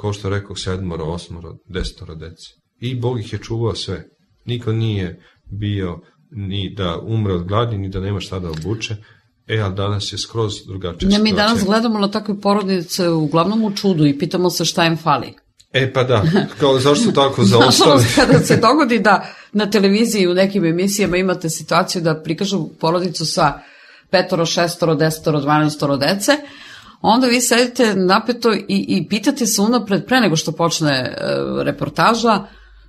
kao što rekao, 7, 8, 10 dece. I Bog ih je čuvao sve. Niko nije bio ni da umre od gladi, ni da nema šta da obuče. Ali danas je skroz drugačija situacija. Mi danas gledamo na takve porodice uglavnom u čudu i pitamo se šta im fali. Pa da, kao zašto tako zaostali? Nažalost, kada se dogodi da na televiziji u nekim emisijama imate situaciju da prikažu porodicu sa 5, 6, 10, 12 dece, onda vi sedite napeto i pitate se unapred pre nego što počne reportaža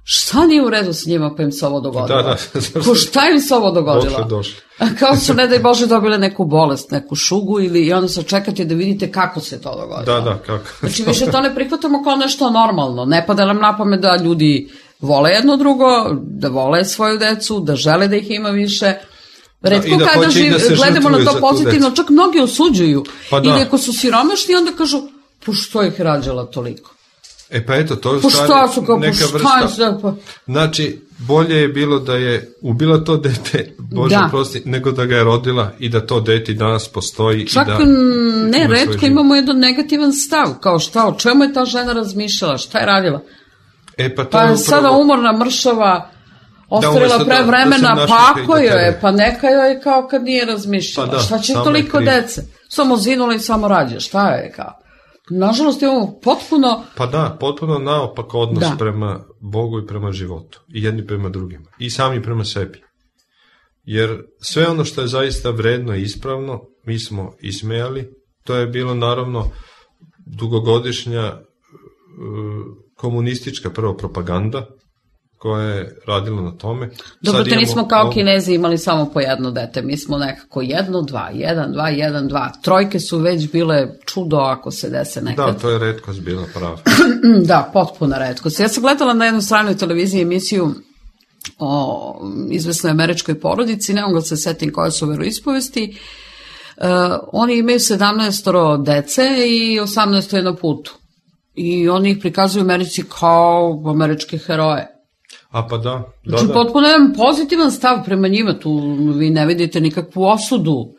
šta nije u redu s njima pa im se ovo dogodilo? Da. Ko šta im se ovo dogodilo? Došli. Kao su, ne daj Bože, dobile neku bolest, neku šugu i onda se čekate da vidite kako se to dogodilo. Da, kako. Znači, više to ne prihvatamo kao nešto normalno. Ne pada nam na pamet da ljudi vole jedno drugo, da vole svoju decu, da žele da ih ima više. Retko da kada gledamo na to pozitivno, čak mnogi osuđuju. Ili ako su siromašni, onda kažu, što ih rađala toliko? Pa eto, to je u stvari neka vrsta. Znači, bolje je bilo da je ubila to dete, Bože prosti, nego da ga je rodila i da to dete danas postoji. Čak ne, retko imamo jedan negativan stav, kao šta, o čemu je ta žena razmišljala, šta je radila? Pa je sada umorna, mršava, ostavila pre vremena, pa ako joj je, pa neka joj je kao kad nije razmišljala. Šta će toliko dece? Samo zinula i samo rađe, šta je kao? Nažalost imamo potpuno naopak odnos prema Bogu i prema životu. I jedni prema drugima. I sami prema sebi. Jer sve ono što je zaista vredno i ispravno, mi smo ismejali. To je bilo naravno dugogodišnja komunistička prvo propaganda koja je radila na tome. Dobro, te nismo kao Kinezi imali samo po jedno dete, mi smo nekako 1, 2, 1, 2, 1, 2. Trojke su već bile čudo ako se dese nekad. Da, to je retkost bila prava. Da, potpuna retkost. Ja sam gledala na jednoj stranoj televiziji emisiju o izvesnoj američkoj porodici, ne mogu da se setim koje su veroispovesti. Oni imaju 17 dece i 18 je na putu. I oni ih prikazuju u Americi kao američke heroje. Pa da. Znači, potpuno jedan pozitivan stav prema njima, tu vi ne vidite nikakvu osudu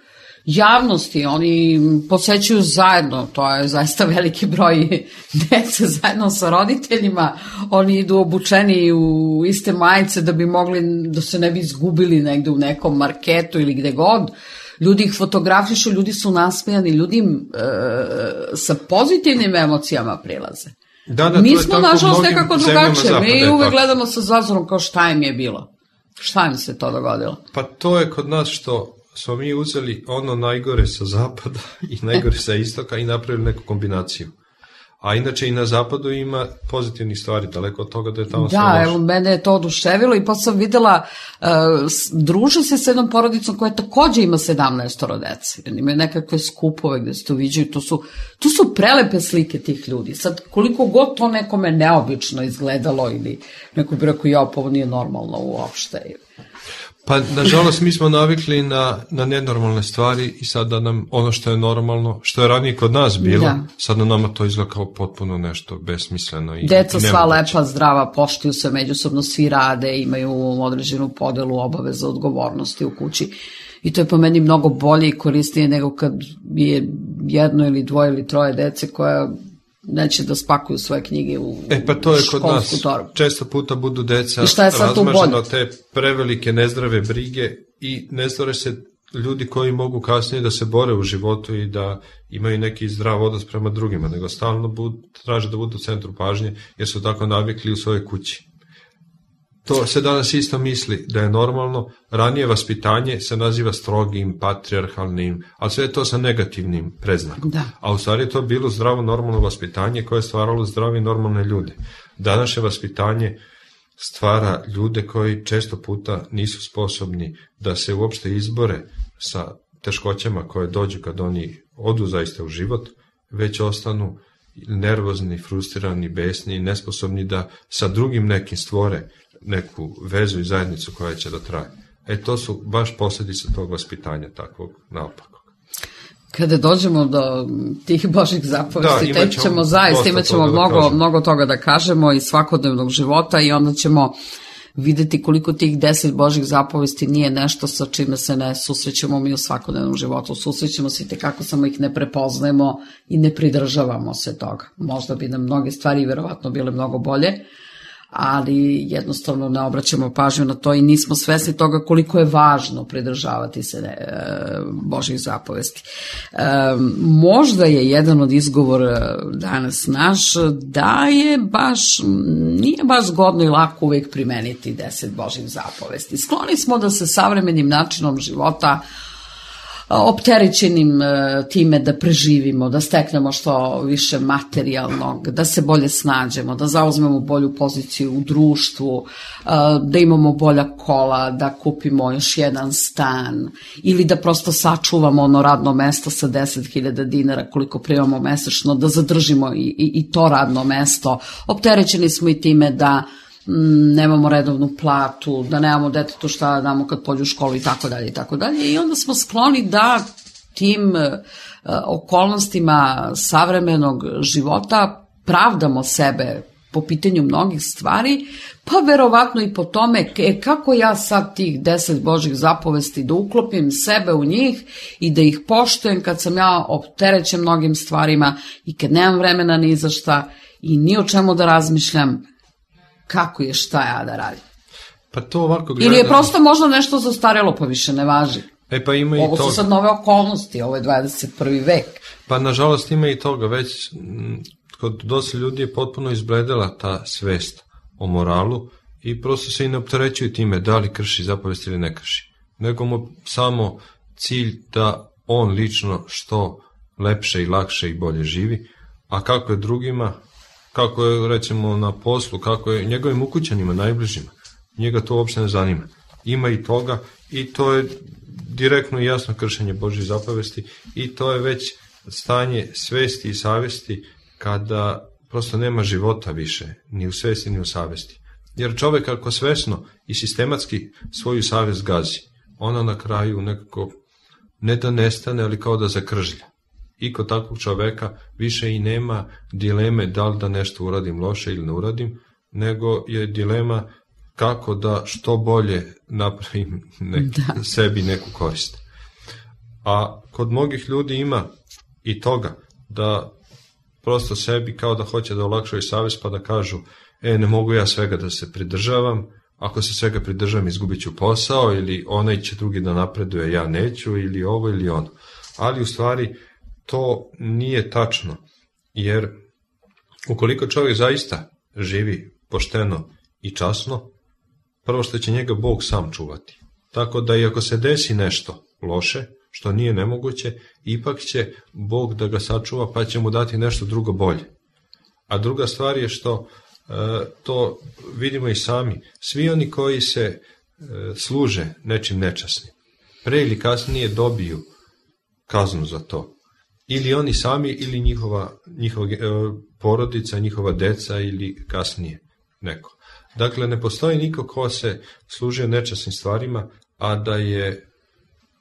javnosti, oni posećuju zajedno, to je zaista veliki broj dece zajedno sa roditeljima, oni idu obučeni u iste majice da bi mogli, da se ne bi izgubili negde u nekom marketu ili gde god. Ljudi ih fotografišu, ljudi su nasmejani, ljudi sa pozitivnim emocijama prilaze. Mi smo, nažalost, nekako drugačije. Mi uvek gledamo sa zazorom kao šta im je bilo. Šta im se to dogodilo? Pa to je kod nas što smo mi uzeli ono najgore sa zapada i najgore sa istoka i napravili neku kombinaciju. A inače i na zapadu ima pozitivnih stvari, daleko od toga da je tamo sve loše. Da, evo, mene je to oduševilo i pa sam videla, druže se s jednom porodicom koja takođe ima 17 dece. Imaju nekakve skupove gde se to viđaju, to su prelepe slike tih ljudi. Sad, koliko god to nekome neobično izgledalo ili neko bi rekao, pa ovo nije normalno uopšte. Pa, nažalost, mi smo navikli na nenormalne stvari i sada nam ono što je normalno, što je ranije kod nas bilo, sada nama to izgleda kao potpuno nešto besmisleno. Deca sva lepa, zdrava, poštuju se međusobno, svi rade, imaju određenu podelu obaveza, odgovornosti u kući. I to je po meni mnogo bolje i korisnije nego kad je jedno ili dvoje ili troje dece koja neće da spakuju svoje knjige u školsku torbu. Pa to je kod nas. Često puta budu deca razmažena od te prevelike nezdrave brige i ne stvore se ljudi koji mogu kasnije da se bore u životu i da imaju neki zdrav odnos prema drugima, nego stalno traže da budu u centru pažnje jer su tako navikli u svojoj kući. To se danas isto misli da je normalno. Ranije vaspitanje se naziva strogim, patrijarhalnim, ali sve je to sa negativnim predznakom. A u stvari je to bilo zdravo, normalno vaspitanje koje je stvaralo zdrave i normalne ljude. Današnje vaspitanje stvara ljude koji često puta nisu sposobni da se uopšte izbore sa teškoćama koje dođu kad oni odu zaista u život, već ostanu nervozni, frustrirani, besni i nesposobni da sa drugim nekim stvore neku vezu i zajednicu koja će da traje. To su baš posljedice tog vaspitanja takvog naopakog. Kada dođemo do tih Božih zapovesti, tek ćemo zaista, imat ćemo mnogo toga da kažemo iz svakodnevnog života i onda ćemo videti koliko tih 10 Božih zapovesti nije nešto sa čime se ne susrećemo mi u svakodnevnom životu. Susrećemo se i tekako samo ih ne prepoznajemo i ne pridržavamo se toga. Možda bi nam mnoge stvari verovatno bile mnogo bolje, ali jednostavno ne obraćamo pažnju na to i nismo svesni toga koliko je važno pridržavati se Božih zapovesti. Možda je jedan od izgovora danas naš da nije baš zgodno i lako uvijek primeniti 10 Božih zapovesti. Skloni smo da se savremenim načinom života opterećenim time da preživimo, da steknemo što više materijalnog, da se bolje snađemo, da zauzmemo bolju poziciju u društvu, da imamo bolja kola, da kupimo još jedan stan ili da prosto sačuvamo ono radno mesto sa 10.000 dinara koliko primamo mesečno, da zadržimo i to radno mesto. Opterećeni smo i time da nemamo redovnu platu, da nemamo detetu šta da damo kad pođe u školu i tako dalje i tako dalje. I onda smo skloni da tim okolnostima savremenog života pravdamo sebe po pitanju mnogih stvari, pa verovatno i po tome kako ja sad tih 10 Božjih zapovesti da uklopim sebe u njih i da ih poštujem kad sam ja opterećen mnogim stvarima i kad nemam vremena ni za šta i ni o čemu da razmišljam kako je šta ja da radim. Pa to ovako gledam. Ili je prosto možda nešto zastarelo pa više ne važi. Pa ima i ovo su toga. sad nove okolnosti, ovo je 21. vek. Pa nažalost ima i toga, već kod dosta ljudi je potpuno izbledela ta svest o moralu i prosto se i ne opterećuju time da li krši zapovesti ili ne krši. Nego mu samo cilj da on lično što lepše i lakše i bolje živi, a kako je drugima, kako je recimo na poslu, kako je njegovim ukućanima, najbližima, njega to uopšte ne zanima. Ima i toga i to je direktno i jasno kršenje Božjih zapovesti i to je već stanje svesti i savesti kada prosto nema života više, ni u svesti ni u savesti. Jer čovek ako svesno i sistematski svoju savest gazi, ona na kraju nekako ne da nestane, ali kao da zakržlja. I kod takvog čoveka više i nema dileme da li da nešto uradim loše ili ne uradim, nego je dilema kako da što bolje napravim sebi neku korist. A kod mnogih ljudi ima i toga da prosto sebi kao da hoće da olakšaju savest pa da kažu ne mogu ja svega da se pridržavam, ako se svega pridržavam izgubit ću posao ili onaj će drugi da napreduje, ja neću ili ovo ili ono. Ali u stvari to nije tačno, jer ukoliko čovjek zaista živi pošteno i časno, prvo što će njega Bog sam čuvati. Tako da i ako se desi nešto loše, što nije nemoguće, ipak će Bog da ga sačuva pa će mu dati nešto drugo bolje. A druga stvar je što to vidimo i sami. Svi oni koji se služe nečim nečasnim, pre ili kasnije dobiju kaznu za to. Ili oni sami ili njihova porodica, njihova deca ili kasnije neko. Dakle, ne postoji niko ko se služio nečasnim stvarima, a da je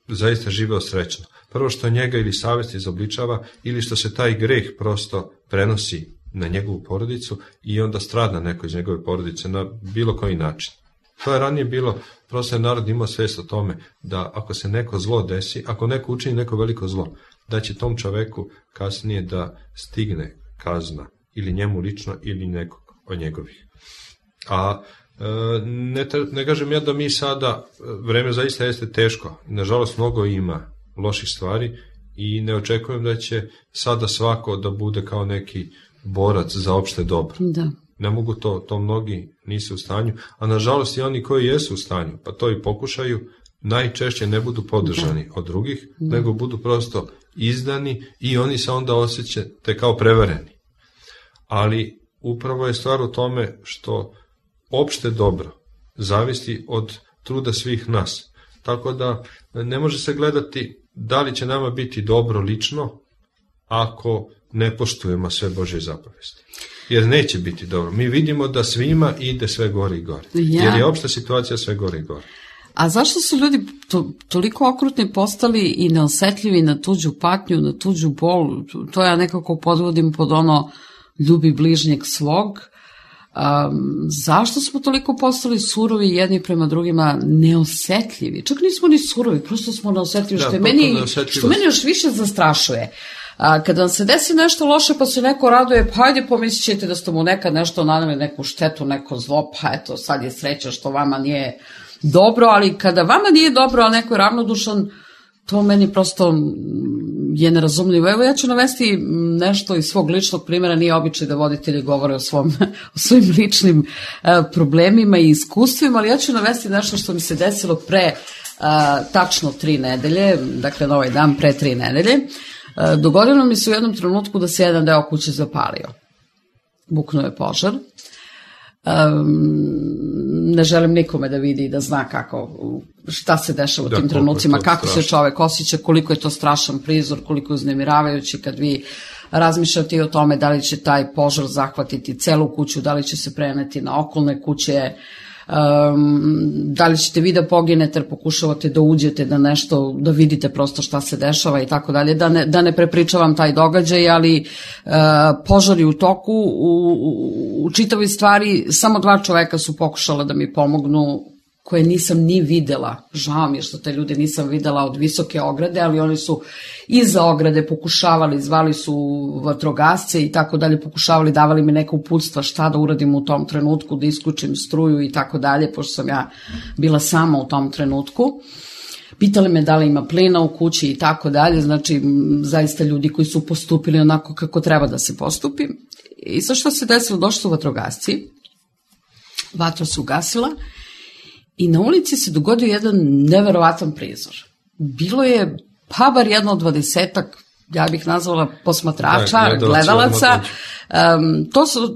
zaista živeo srećno. Prvo što njega ili savest izobličava ili što se taj greh prosto prenosi na njegovu porodicu i onda strada neko iz njegove porodice na bilo koji način. To je ranije bilo, prosto je narod imao svest o tome da ako se neko zlo desi, ako neko učini neko veliko zlo, da će tom čoveku kasnije da stigne kazna ili njemu lično ili nekog od njegovih. A ne kažem ja da mi sada, vreme zaista jeste teško, nažalost mnogo ima loših stvari i ne očekujem da će sada svako da bude kao neki borac za opšte dobro. Da. Ne mogu to mnogi nisu u stanju, a nažalost i oni koji jesu u stanju, pa to i pokušaju, najčešće ne budu podržani od drugih, nego budu prosto izdani i oni se onda osjećate kao prevareni. Ali upravo je stvar u tome što opšte dobro zavisi od truda svih nas. Tako da ne može se gledati da li će nama biti dobro lično ako ne poštujemo sve Božje zapovesti. Jer neće biti dobro. Mi vidimo da svima ide sve gore i gore. Jer je opšta situacija sve gore i gore. A zašto su ljudi toliko okrutni postali i neosetljivi na tuđu patnju, na tuđu bol? To ja nekako podvodim pod ono ljubi bližnjeg svog. Zašto smo toliko postali surovi jedni prema drugima, neosetljivi? Čak nismo ni surovi, prosto smo neosetljivi, što meni još više zastrašuje. Kada vam se desi nešto loše pa se neko raduje, pa ajde pomislit ćete da ste mu nekad nešto naneli, neku štetu, neko zlo, pa eto sad je sreća što vama nije dobro, ali kada vama nije dobro, a neko je ravnodušan, to meni prosto je nerazumljivo. Evo ja ću navesti nešto iz svog ličnog primjera, nije običaj da voditelji govore o svojim ličnim problemima i iskustvima, ali ja ću navesti nešto što mi se desilo pre tačno 3 nedelje, dakle na ovaj dan pre 3 nedelje, dogodilo mi se u jednom trenutku da se jedan deo kuće zapalio. Buknuo je požar. Ne želim nikome da vidi i da zna šta se dešava u tim trenucima, kako se čovek osjeća, koliko je to strašan prizor, koliko je uznemiravajući kad vi razmišljate o tome da li će taj požar zahvatiti celu kuću, da li će se preneti na okolne kuće, da li ćete vi da poginete jer pokušavate da uđete da nešto, da vidite prosto šta se dešava i tako dalje, da ne prepričavam taj događaj, ali požari u toku, u čitavoj stvari samo 2 čoveka su pokušala da mi pomognu, koje nisam ni videla, žao mi je što te ljude nisam videla od visoke ograde, ali oni su iza ograde pokušavali, zvali su vatrogasce i tako dalje, pokušavali, davali mi neka uputstva šta da uradim u tom trenutku, da isključim struju i tako dalje, pošto sam ja bila sama u tom trenutku. Pitali me da li ima plina u kući i tako dalje, znači zaista ljudi koji su postupili onako kako treba da se postupi. I sad što se desilo, došli su vatrogasci, vatra se ugasila, i na ulici se dogodio jedan neverovatan prizor. Bilo je pa bar jedno od 20-ak, ja bih nazvala posmatrača, gledalaca.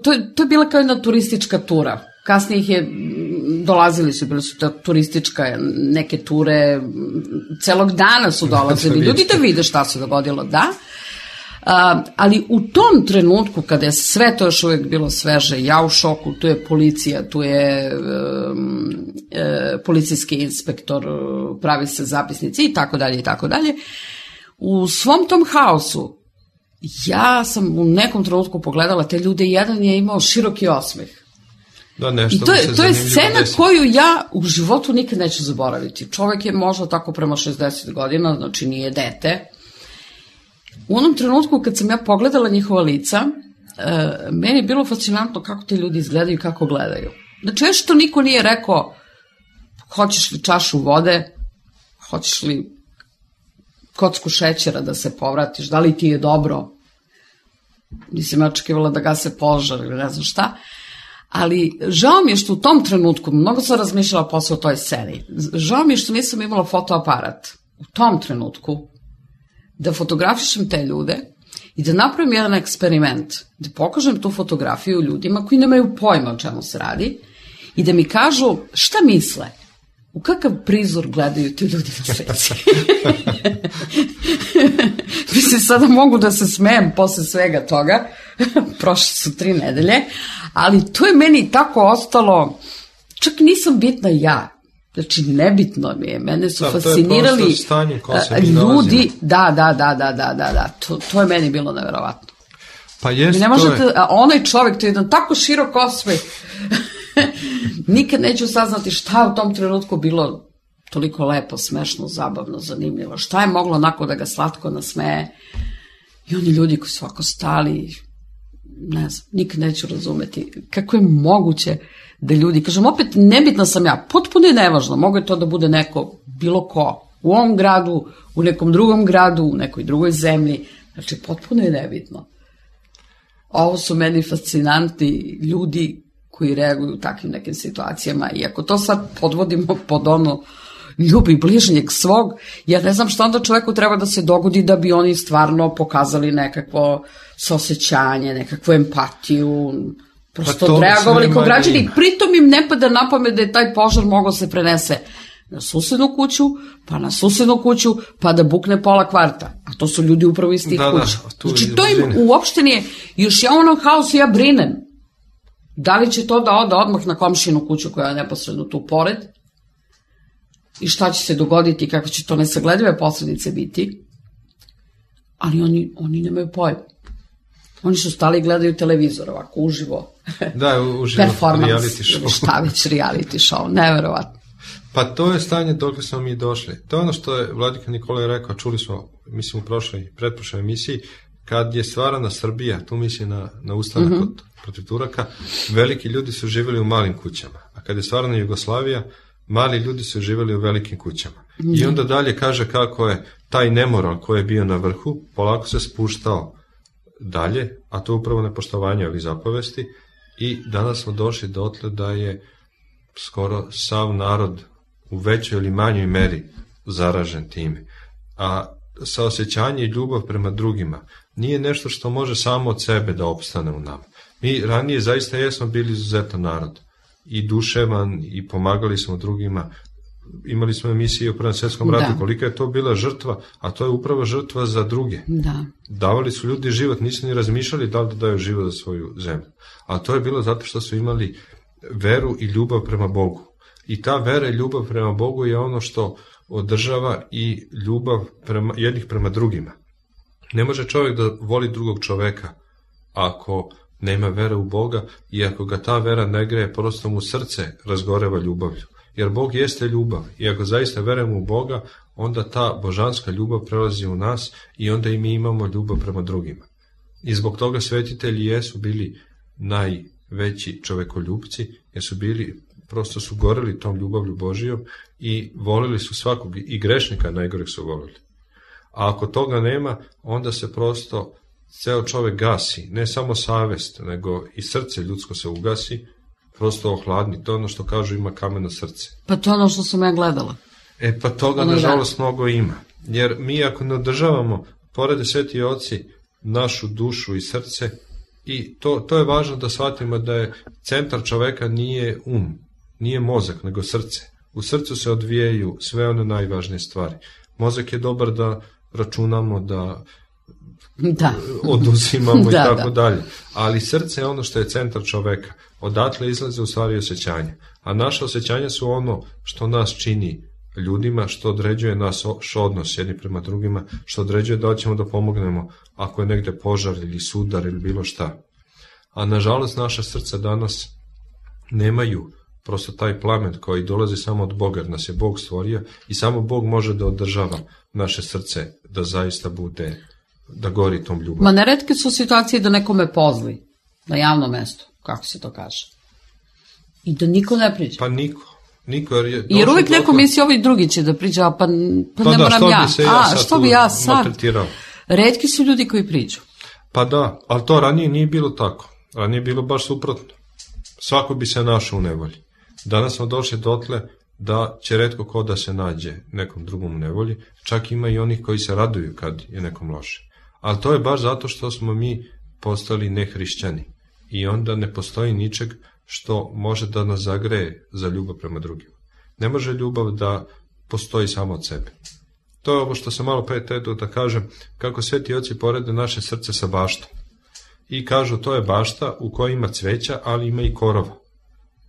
To je bila kao jedna turistička tura. Kasnije ih je, dolazili su, bile su to turistička neke ture, celog dana su dolazili ljudi da vide šta se dogodilo, da. Ali u tom trenutku kada je sve to još uvijek bilo sveže, ja u šoku, tu je policija, tu je policijski inspektor, pravi se zapisnici i tako dalje i tako dalje. U svom tom haosu ja sam u nekom trenutku pogledala te ljude i jedan je imao široki osmeh. Da, nešto I to je scena koju ja u životu nikad neću zaboraviti. Čovek je možda tako prema 60 godina, znači nije dete. U onom trenutku kad sam ja pogledala njihova lica, meni je bilo fascinantno kako te ljudi izgledaju i kako gledaju. Znači, još što niko nije rekao, hoćeš li čašu vode, hoćeš li kocku šećera da se povratiš, da li ti je dobro. Nisam ja očekivala da gase požar ili ne znam šta. Ali žao mi je što u tom trenutku, mnogo sam razmišljala posle o toj sceni, žao mi je što nisam imala fotoaparat u tom trenutku, da fotografišem te ljude i da napravim jedan eksperiment, da pokažem tu fotografiju ljudima koji nemaju pojma o čemu se radi i da mi kažu šta misle, u kakav prizor gledaju ti ljudi na slici. Mislim, sada mogu da se smejem posle svega toga, prošle su 3 nedelje, ali to je meni tako ostalo, čak nisam bitna ja. Znači, nebitno mi je, mene su fascinirali ljudi, da, to je meni bilo neverovatno. Pa jest, ne možete, onaj čovjek, to je jedan tako širok osmeh, nikad neću saznati šta je u tom trenutku bilo toliko lepo, smešno, zabavno, zanimljivo, šta je moglo onako da ga slatko nasmeje, i oni ljudi koji su ovako stali, ne znam, nikad neću razumeti kako je moguće da ljudi, kažem, opet nebitna sam ja, potpuno je nevažno, mogu je to da bude neko, bilo ko, u ovom gradu, u nekom drugom gradu, u nekoj drugoj zemlji, znači potpuno je nebitno. Ovo su meni fascinantni ljudi koji reaguju u takvim nekim situacijama, i ako to sad podvodimo pod ono ljubi bližnjeg svog, ja ne znam šta onda čoveku treba da se dogodi da bi oni stvarno pokazali nekakvo saosećanje, nekakvu empatiju, prosto reagovali kao građani, pritom im ne pada na pamet da je taj požar mogao se prenese na susednu kuću, pa na susednu kuću, pa da bukne pola kvarta. A to su ljudi upravo iz tih kuća. Znači, to im uopšte nije, još ja u onom haosu ja brinem. Da li će to da ode odmah na komšinu kuću koja je neposredno tu pored? I šta će se dogoditi i kako će to nesagledive posledice biti? Ali oni nemaju pojma. Oni su stali i gledaju televizor ovako, uživo. Da, uživo, reality show. Šta već, reality show, neverovatno. Pa to je stanje dok smo mi došli. To je ono što je Vladika Nikolaj rekao, čuli smo, mislim, u pretprošloj emisiji, kad je stvarana Srbija, tu misli na ustanak protiv Turaka, veliki ljudi su živjeli u malim kućama. A kad je stvarana Jugoslavija, mali ljudi su živjeli u velikim kućama. I onda dalje kaže kako je taj nemoral koji je bio na vrhu, polako se spuštao dalje, a to je upravo nepoštovanje ovih zapovesti, i danas smo došli dotle da je skoro sav narod u većoj ili manjoj meri zaražen time. A saosjećanje i ljubav prema drugima nije nešto što može samo od sebe da opstane u nama. Mi ranije zaista jesmo bili izuzetan narod i duševan i pomagali smo drugima. Imali smo emisije o Prvom svjetskom ratu, kolika je to bila žrtva, a to je upravo žrtva za druge. Da. Davali su ljudi život, nisu ni razmišljali da li da daju život za svoju zemlju. A to je bilo zato što su imali veru i ljubav prema Bogu. I ta vera i ljubav prema Bogu je ono što održava i ljubav jednih prema drugima. Ne može čovjek da voli drugog čoveka ako nema vere u Boga i ako ga ta vera ne greje, prosto mu srce razgoreva ljubavlju. Jer Bog jeste ljubav i ako zaista verujemo u Boga, onda ta božanska ljubav prelazi u nas i onda i mi imamo ljubav prema drugima. I zbog toga svetitelji jesu bili najveći čovekoljupci, jer su bili, prosto su goreli tom ljubavlju Božijom i volili su svakog, i grešnika najgoreg su volili. A ako toga nema, onda se prosto ceo čovek gasi, ne samo savest, nego i srce ljudsko se ugasi, prosto ohladni, to je ono što kažu ima kameno srce. Pa to je ono što sam ja gledala. Pa toga nažalost mnogo ima, jer mi ako ne održavamo, porede sveti oci, našu dušu i srce, i to je važno da shvatimo da je centar čoveka nije nije mozak, nego srce. U srcu se odvijaju sve one najvažnije stvari. Mozak je dobar da računamo, da oduzimamo i tako dalje. Ali srce je ono što je centar čoveka. Odatle izlaze u stvari osjećanja. A naše osjećanja su ono što nas čini ljudima, što određuje naš odnos jedni prema drugima, što određuje da ćemo da pomognemo ako je negde požar ili sudar ili bilo šta. A nažalost naša srca danas nemaju prosto taj plamen koji dolazi samo od Boga, jer nas je Bog stvorio i samo Bog može da održava naše srce da zaista bude, da gori tom ljubav. Ma neretke su situacije da nekome pozli na javnom mestu, kako se to kaže. I da niko ne priđe. Pa niko. Jer uvijek neko misli ovi drugi će da priđe, pa ne moram ja. Što bi ja sad? Retki su ljudi koji priđu. Pa da, ali to ranije nije bilo tako. Ranije je bilo baš suprotno. Svako bi se našao u nevolji. Danas smo došli dotle da će retko ko da se nađe nekom drugom u nevolji, čak ima i onih koji se raduju kad je nekom loše. Ali to je baš zato što smo mi postali nehrišćani i onda ne postoji ničeg što može da nas zagreje za ljubav prema drugima. Ne može ljubav da postoji samo od sebe. To je ovo što sam malo pre teto da kažem, kako sveti oci porede naše srce sa baštom. I kažu to je bašta u kojoj ima cveća, ali ima i korova.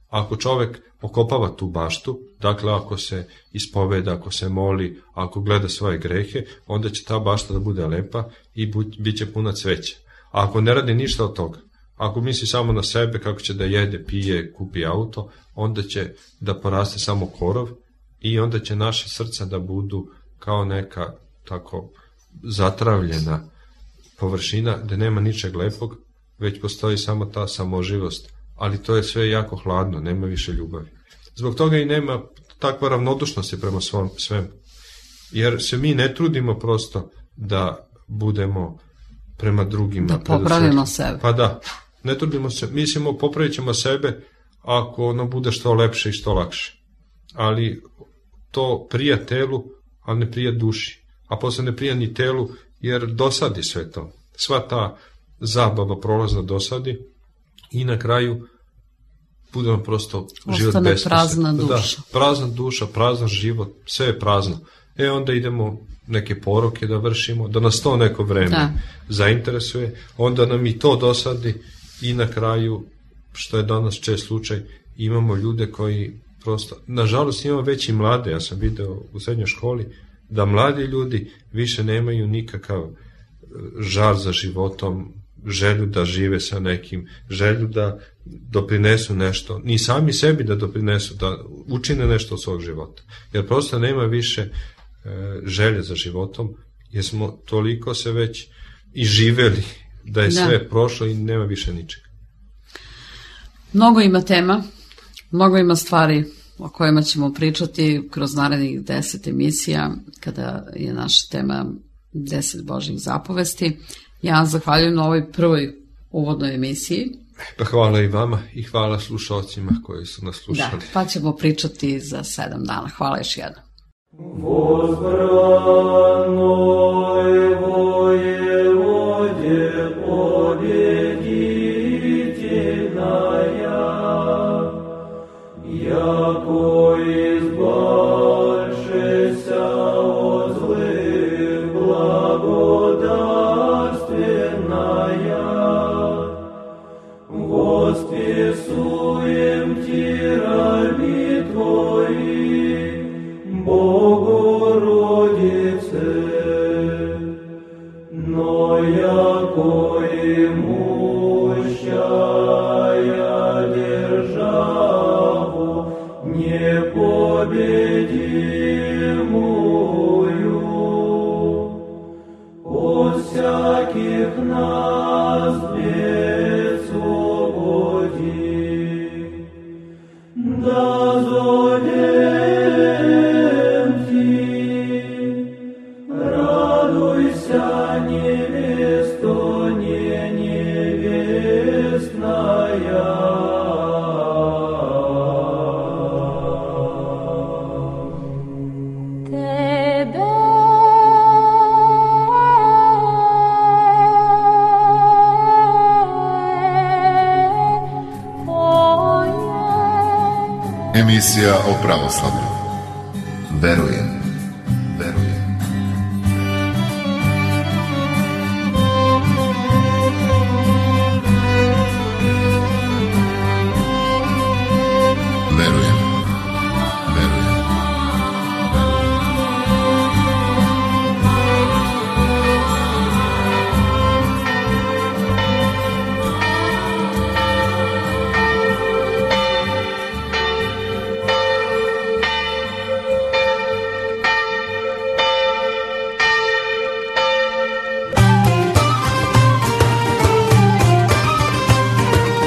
Ako čovek okopava tu baštu, dakle ako se ispoveda, ako se moli, ako gleda svoje grehe, onda će ta bašta da bude lepa i bit će puna cveća. A ako ne radi ništa od toga, ako misli samo na sebe, kako će da jede, pije, kupi auto, onda će da poraste samo korov i onda će naše srca da budu kao neka tako zatravljena površina gde nema ničeg lepog, već postoji samo ta samoživost, ali to je sve jako hladno, nema više ljubavi. Zbog toga i nema takva ravnodušnosti prema svemu, jer se mi ne trudimo prosto da budemo prema drugima. Da popravimo sebe. Pa da, ne trudimo se, mislimo popravit ćemo sebe ako ono bude što lepše i što lakše. Ali to prija telu, ali ne prija duši. A posle ne prija ni telu, jer dosadi sve to. Sva ta zabava prolazna dosadi i na kraju budemo prosto život besmislen. Ostane prazna duša. Da, prazna duša, prazan život, sve je prazno. Onda idemo neke poroke da vršimo, da nas to neko vreme zainteresuje, onda nam i to dosadi i na kraju, što je danas čest slučaj, imamo ljude koji prosto, nažalost imamo već i mlade, ja sam video u srednjoj školi, da mladi ljudi više nemaju nikakav žar za životom, želju da žive sa nekim, želju da doprinesu nešto, ni sami sebi da doprinesu, da učine nešto od svog života. Jer prosto nema više želje za životom, jer smo toliko se već i živeli da je sve prošlo i nema više ničega. Mnogo ima tema, mnogo ima stvari o kojima ćemo pričati kroz narednih 10 emisija, kada je naša tema 10 Božjih zapovesti. Ja zahvaljujem na ovoj prvoj uvodnoj emisiji. Pa hvala i vama i hvala slušalcima koji su nas slušali. Da, pa ćemo pričati za 7 dana. Hvala još jednom. Возбранной воеводе победительная, яко избавшися от злых благодарственная, восписуем Ти раби Твои, Богородице, но яко имущая державу непобедимую, от всяких нас бед свободи, да зовем Ти, радуйся, невесто не невестная. Emisija o pravoslavlju. Verujem.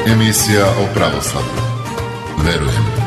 Emisija o pravoslavlju. Verujem.